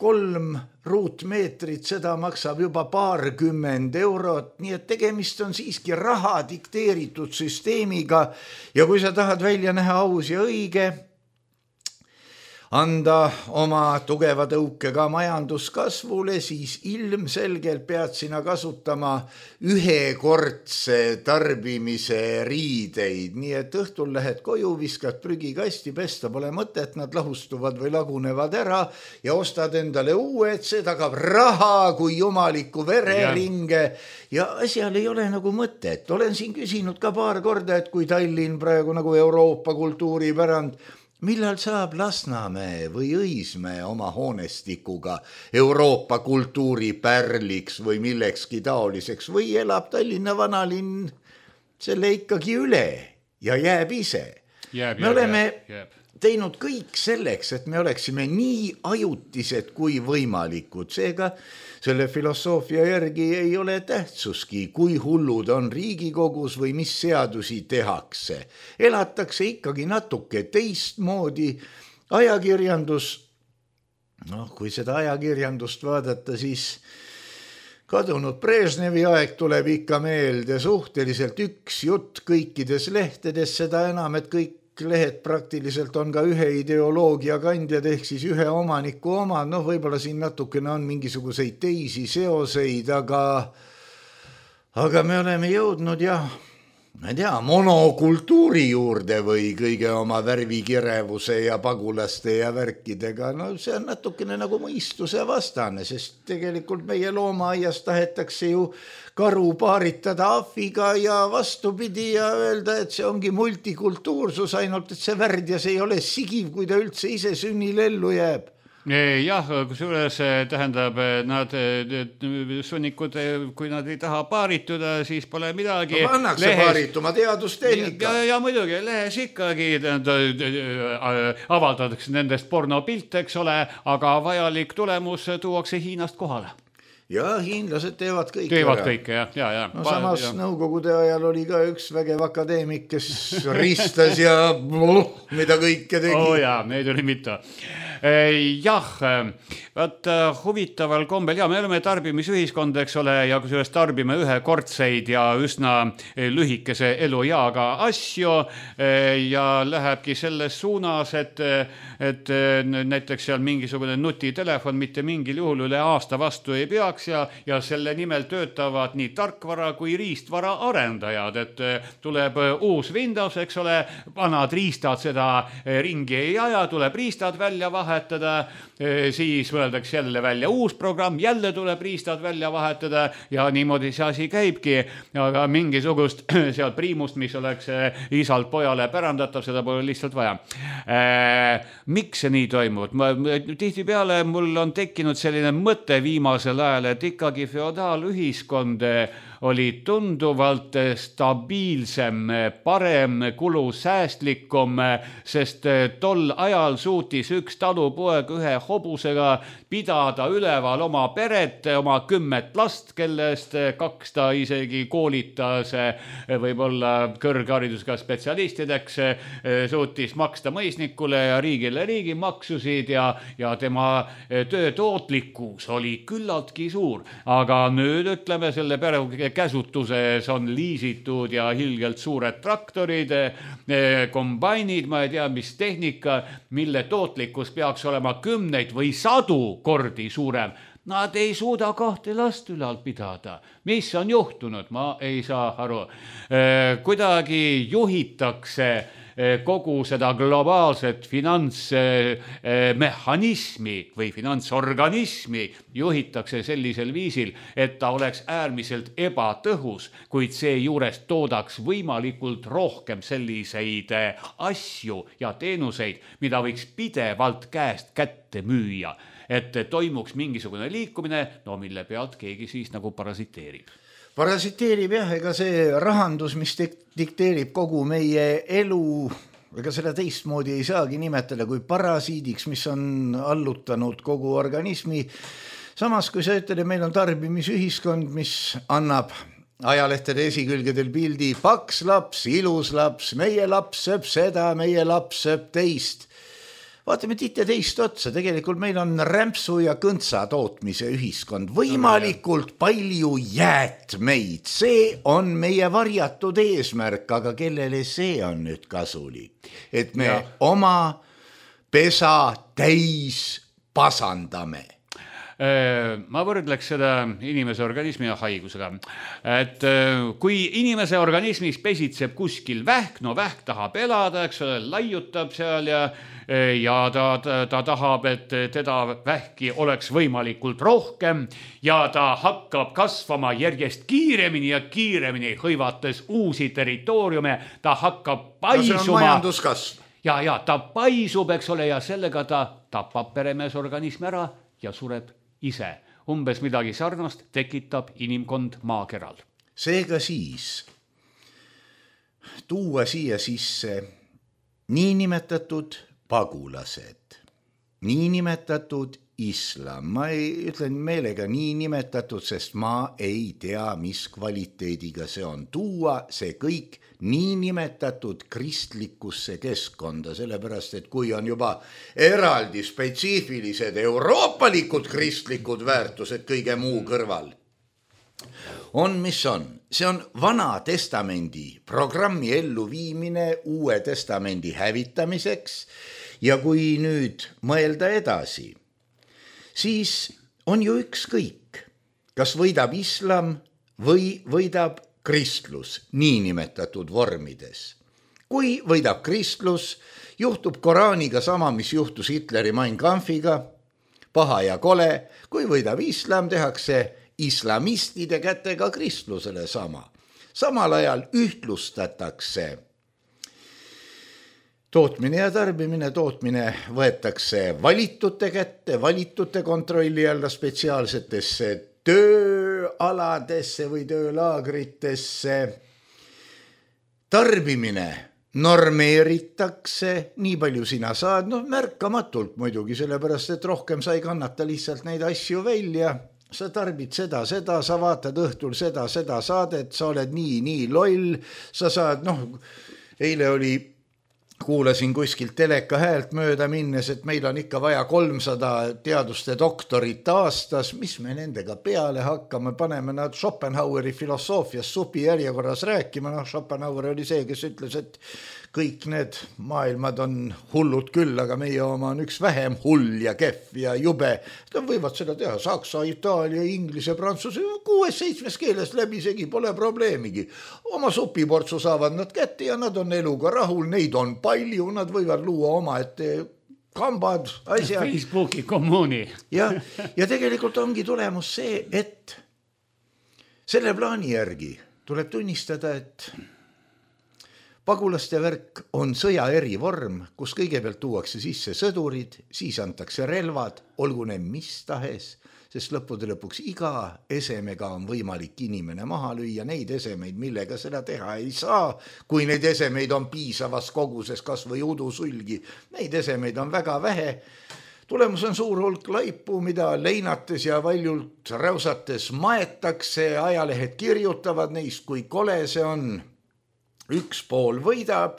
3 ruutmeetrit, seda maksab juba paarkümmend €, nii et tegemist on siiski raha dikteeritud süsteemiga ja kui sa tahad välja näha aus ja õige, anda oma tugeva tõuke ka majanduskasvule, siis ilmselgelt pead sina kasutama ühekordse tarbimise riideid, nii et õhtul lähed koju, viskad prügikasti, pesta pole mõtet, nad lahustuvad või lagunevad ära ja ostad endale uued, see tagab raha kui jumaliku vereringe ja asjal ei ole nagu mõtet. Olen siin küsinud ka paar korda, et kui Tallinn praegu nagu Euroopa kultuuripärand, millal saab Lasnamäe või Õismäe oma hoonestikuga Euroopa kultuuripärliks või millekski taoliseks või elab Tallinna vanalinn selle ikkagi üle ja jääb ise. Me oleme teinud kõik selleks, et me oleksime nii ajutised kui võimalikud. Seega selle filosoofia järgi ei ole tähtsuski, kui hullud on Riigikogus või mis seadusi tehakse. Elatakse ikkagi natuke teistmoodi. Ajakirjandus, kui seda ajakirjandust vaadata, siis kadunud Brežnevi aeg tuleb ikka meelde, suhteliselt üks jutt kõikides lehtedes, seda enam, et kõik lehed praktiliselt on ka ühe ideoloogia kandjad ehk siis ühe omaniku oma, võib-olla siin natukene on mingisuguseid teisi seoseid, aga me oleme jõudnud ma ei tea, monokultuuri juurde või kõige oma värvikirevuse ja pagulaste ja värkidega, see on natukene nagu mõistuse vastane, sest tegelikult meie loomaaias tahetakse ju karu paaritada ahviga ja vastupidi ja öelda, et see ongi multikultuursus, ainult et see värdjas ei ole sigiv, kui ta üldse ise sünnil ellu jääb. Jah, kusjuures tähendab, nad sunnikud, kui nad ei taha paarituda, siis pole midagi. Pannakse paarituma teadustehnika. Ja muidugi, lehes ikkagi avaldatakse nendest pornopilt, eks ole, aga vajalik tulemus tuuakse Hiinast kohale. Ja hiinlased teevad kõike. Teevad kõike, jah. Samas nõukogude ajal oli ka üks vägev akadeemik, kes ristas ja mida kõike tegi. Jaa, neid oli mitu. Jah, vaat huvitaval kombel ja me oleme tarbimisühiskond, eks ole, ja kusjuures tarbime ühekordseid ja üsna lühikese elueaga asju ja lähebki selles suunas, et näiteks seal mingisugune nutitelefon mitte mingil juhul üle aasta vastu ei peaks ja selle nimel töötavad nii tarkvara kui riistvara arendajad, et tuleb uus Windows, eks ole, vanad riistad seda ringi ei aja, tuleb riistad välja vahetada, siis mõeldakse jälle välja uus programm, jälle tuleb riistad välja vahetada ja niimoodi see asi käibki, aga mingisugust seal priimust, mis oleks isalt pojale pärandatav, seda pole lihtsalt vaja. Miks see nii toimub? Tihtipeale mul on tekkinud selline mõte viimasel ajal, et ikkagi feodaalühiskond oli tunduvalt stabiilsem, parem, kulusäästlikum, sest tol ajal suutis üks talupoeg ühe hobusega pidada üleval oma peret, oma 10 last, kellest 2 ta isegi koolitas võib-olla kõrgharidusega spetsialistideks, suutis maksta mõisnikule ja riigile riigimaksusid ja tema töö tootlikkus oli küllaltki suur. Aga nüüd ütleme selle pere käsutuses on liisitud ja hilgelt suured traktorid, kombainid, ma ei tea, mis tehnika, mille tootlikkus peaks olema 10 või 100 kordi suurem. Nad ei suuda 2 last ülal pidada. Mis on juhtunud? Ma ei saa aru. Kuidagi juhitakse kogu seda globaalset finantsmehhanismi või finantsorganismi juhitakse sellisel viisil, et ta oleks äärmiselt ebatõhus, kuid see juures toodaks võimalikult rohkem selliseid asju ja teenuseid, mida võiks pidevalt käest kätte müüa, et toimuks mingisugune liikumine, no mille pealt keegi siis nagu parasiteerib. Parasiteerib jah, ega see rahandus, mis dikteerib kogu meie elu, ega seda teistmoodi ei saagi nimetada kui parasiidiks, mis on allutanud kogu organismi. Samas, kui sa ütled, et meil on tarbimisühiskond, mis annab ajalehtede esikülgedel pildi paks laps, ilus laps, meie laps sööb seda, meie laps sööb teist. Vaatame tihti teist otsa, tegelikult meil on rämpsu ja kõntsa tootmise ühiskond, võimalikult palju jäätmeid, see on meie varjatud eesmärk, aga kellele see on nüüd kasulik, et me oma pesa täis pasandame. Ma võrdleks seda inimese organismi ja haigusega, et kui inimese organismis pesitseb kuskil vähk, no vähk tahab elada, eks ole, laiutab seal ja ta tahab, et teda vähki oleks võimalikult rohkem ja ta hakkab kasvama järjest kiiremini ja kiiremini, hõivates uusi territooriume, ta hakkab paisuma. No see on majanduskasv. Ja ta paisub, eks ole, ja sellega ta tapab peremees organismi ära ja sureb ise. Umbes midagi sarnast tekitab inimkond maakeral. Seega siis tuua siia sisse niinimetatud pagulased, niinimetatud islam. Ma ütlen meelega niinimetatud, sest ma ei tea, mis kvaliteediga see on. Tuua see kõik niinimetatud kristlikusse keskkonda, sellepärast, et kui on juba eraldi spetsiifilised euroopalikud kristlikud väärtused kõige muu kõrval, on mis on. See on Vana Testamendi programmi elluviimine Uue Testamendi hävitamiseks ja kui nüüd mõelda edasi, siis on ju ükskõik, kas võidab islam või võidab kristlus niinimetatud vormides. Kui võidab kristlus, juhtub Koraaniga sama, mis juhtus Hitleri Mein Kampfiga, paha ja kole. Kui võidab islam, tehakse islamistide kätega kristlusele sama. Samal ajal ühtlustatakse tootmine ja tarbimine, tootmine võetakse valitute kätte, valitute kontrolli alla spetsiaalsetesse tööaladesse või töölaagritesse. Tarbimine normeeritakse, nii palju sina saad, märkamatult muidugi, sellepärast, et rohkem sa ei kannata lihtsalt neid asju välja. Sa tarbid seda, sa vaatad õhtul seda saadet, sa oled nii loll, sa saad, eile oli kuulasin kuskilt teleka häält mööda minnes, et meil on ikka vaja 300 teaduste doktorit aastas, mis me nendega peale hakkame, paneme nad Schopenhaueri filosoofias supi järjekorras rääkima. Schopenhauer oli see, kes ütles, et kõik need maailmad on hullud küll, aga meie oma on üks vähem hull ja kehv ja jube. Nad võivad seda teha saksa, itaalia, inglise, prantsuse, 6-7 keeles läbisegi, pole probleemigi. Oma supiportsu saavad nad kätte ja nad on eluga rahul, neid on palju, nad võivad luua oma ette kambad, asjad. Facebooki kommuuni. ja tegelikult ongi tulemus see, et selle plaani järgi tuleb tunnistada, et pagulaste värk on sõja erivorm, kus kõigepealt tuuakse sisse sõdurid, siis antakse relvad, olgu need mis tahes, sest lõppude lõpuks iga esemega on võimalik inimene maha lüüa, neid esemeid, millega seda teha ei saa, kui neid esemeid on piisavas koguses, kas või udusulgi, neid esemeid on väga vähe. Tulemus on suur hulk laipu, mida leinates ja valjult räusates maetakse, ajalehed kirjutavad neist, kui kole see on. Üks pool võidab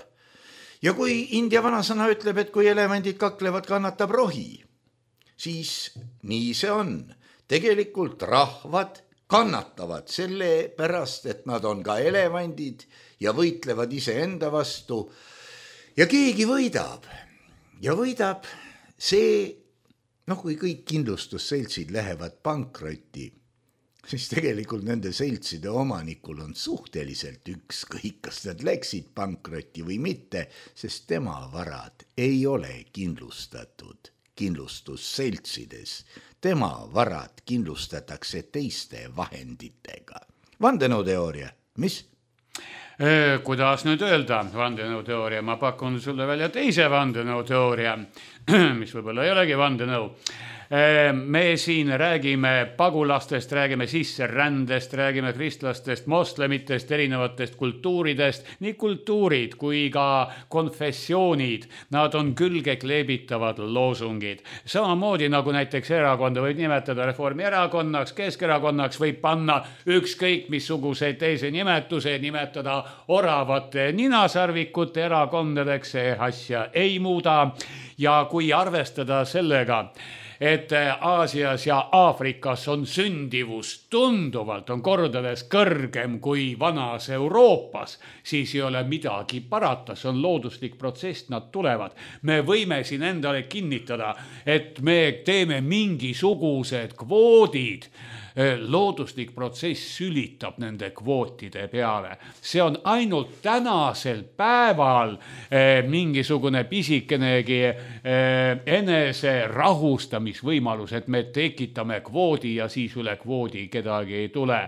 ja kui India vanasõna ütleb, et kui elevandid kaklevad, kannatab rohi, siis nii see on. Tegelikult rahvad kannatavad selle pärast, et nad on ka elevandid ja võitlevad iseenda vastu ja keegi võidab. Ja võidab see, kui kõik kindlustusseltsid lähevad pankrotti, siis tegelikult nende seltside omanikul on suhteliselt ükskõik, kas nad läksid pankrotti või mitte, sest tema varad ei ole kindlustatud kindlustusseltsides. Tema varad kindlustatakse teiste vahenditega. Vandenõuteooria, mis? Kuidas nüüd öelda vandenõuteooria? Ma pakun sulle välja teise vandenõuteooria, mis võib-olla ei olegi vandenõu. Me siin räägime pagulastest, räägime sisserändest, räägime kristlastest, moslemitest, erinevatest kultuuridest. Nii kultuurid kui ka konfessioonid, nad on külge kleebitavad loosungid. Samamoodi nagu näiteks erakonda võib nimetada Reformierakonnaks, Keskerakonnaks, võib panna ükskõik missuguseid teise nimetuse, nimetada oravate ninasarvikute erakondadeks, see asja ei muuda. Ja kui arvestada sellega, et Aasias ja Aafrikas on sündivus tunduvalt, on kordades kõrgem kui vanas Euroopas, siis ei ole midagi parata, see on looduslik protsess, nad tulevad. Me võime siin endale kinnitada, et me teeme mingisugused kvoodid, looduslik protsess sülitab nende kvootide peale. See on ainult tänasel päeval mingisugune pisikenegi enese rahustamisvõimalus, et me tekitame kvoodi ja siis üle kvoodi kedagi ei tule.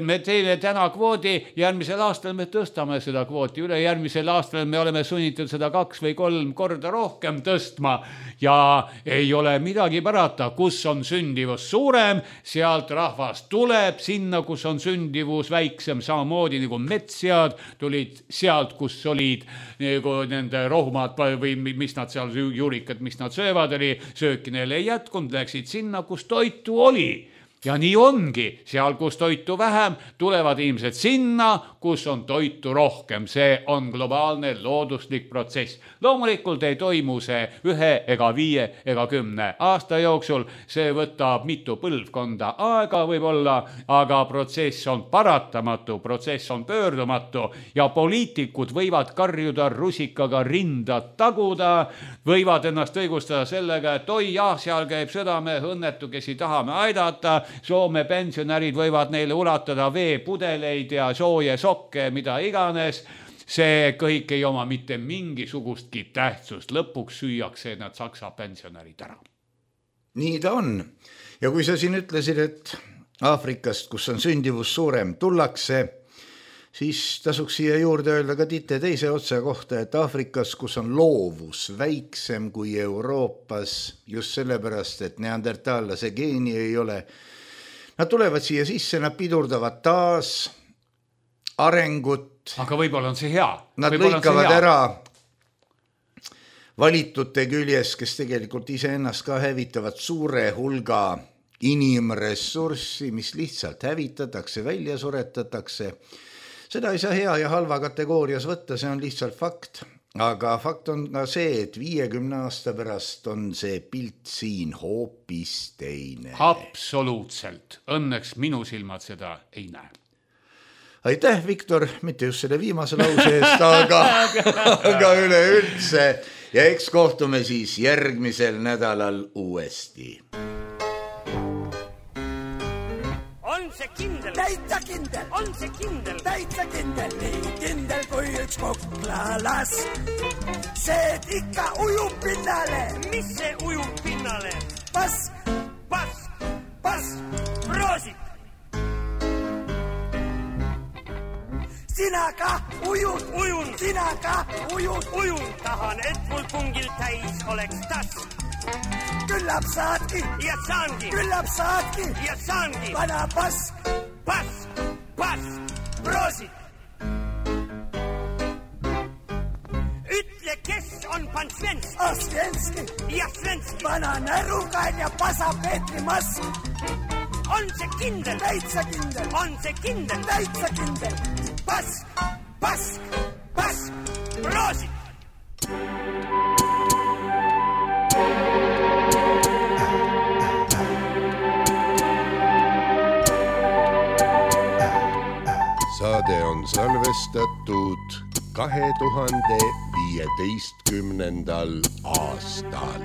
Me teeme täna kvoodi, järgmisel aastal me tõstame seda kvooti, üle järgmisel aastal me oleme sunnitud seda 2 või 3 korda rohkem tõstma ja ei ole midagi parata, kus on sündivus suurem, sealt rahvas tuleb sinna, kus on sündivus väiksem, samamoodi nagu metssead tulid sealt, kus olid nagu nende rohumad või mis nad seal juurikad, mis nad söövad oli, sööki neile ei jätkunud, läksid sinna, kus toitu oli. Ja nii ongi, seal kus toitu vähem, tulevad inimesed sinna, kus on toitu rohkem. See on globaalne looduslik protsess. Loomulikult ei toimu see 1 ega 5 ega 10 aasta jooksul. See võtab mitu põlvkonda aega võib-olla, aga protsess on paratamatu, protsess on pöördumatu ja poliitikud võivad karjuda rusikaga rinda taguda, võivad ennast õigustada sellega, et oi jah, seal käib südame õnnetu, kes ei tahame aidata. Soome pensionärid võivad neile ulatada veepudeleid ja sooje sokke, mida iganes. See kõik ei oma mitte mingisugustki tähtsust. Lõpuks süüakse nad saksa pensionärid ära. Nii ta on. Ja kui sa siin ütlesid, et Aafrikast, kus on sündivus suurem, tullakse, siis tasuks siia juurde öelda ka teise otsa kohta, et Aafrikas, kus on loovus väiksem kui Euroopas, just sellepärast, et neandertaallase geeni ei ole, nad tulevad siia sisse, nad pidurdavad taas arengut. Aga võib-olla on see hea. Nad lõikavad ära valitute küljes, kes tegelikult iseennast ka hävitavad suure hulga inimressurssi, mis lihtsalt hävitatakse, välja suretatakse. Seda ei saa hea ja halva kategoorias võtta, see on lihtsalt fakt. aga fakt on ka see, et 50 aasta pärast on see pilt siin hoopis teine. Absoluutselt. Õnneks minu silmad seda ei näe. Aitäh, Viktor, mitte just selle viimase lause eest, aga üleüldse. Ja eks kohtume siis järgmisel nädalal uuesti. On see kindel? Täitsa kindel. On see kindel? Täitsa kindel. Nii kindel kui üks koklalas. See ikka ujub pinnale. Mis see ujub pinnale? Pask. Pask. Pask. Proosit. Sina ka ujud. Ujun. Sina ka ujud. Ujun. Tahan, et mul pungil täis oleks task. Küllap saadki. Ja saangi. Küllap saadki. Ja saangi. Vana pask. Pask. Pask. Proosit. Ütle, kes on pan Svenski? Svenski. Ja Svenski. Vana närukain ja pasa Petri mask. On see kindel? Täitsa kindel. On see kindel? Täitsa kindel. Pask. Pask. Pask. Proosit. Saade on salvestatud 2015. aastal.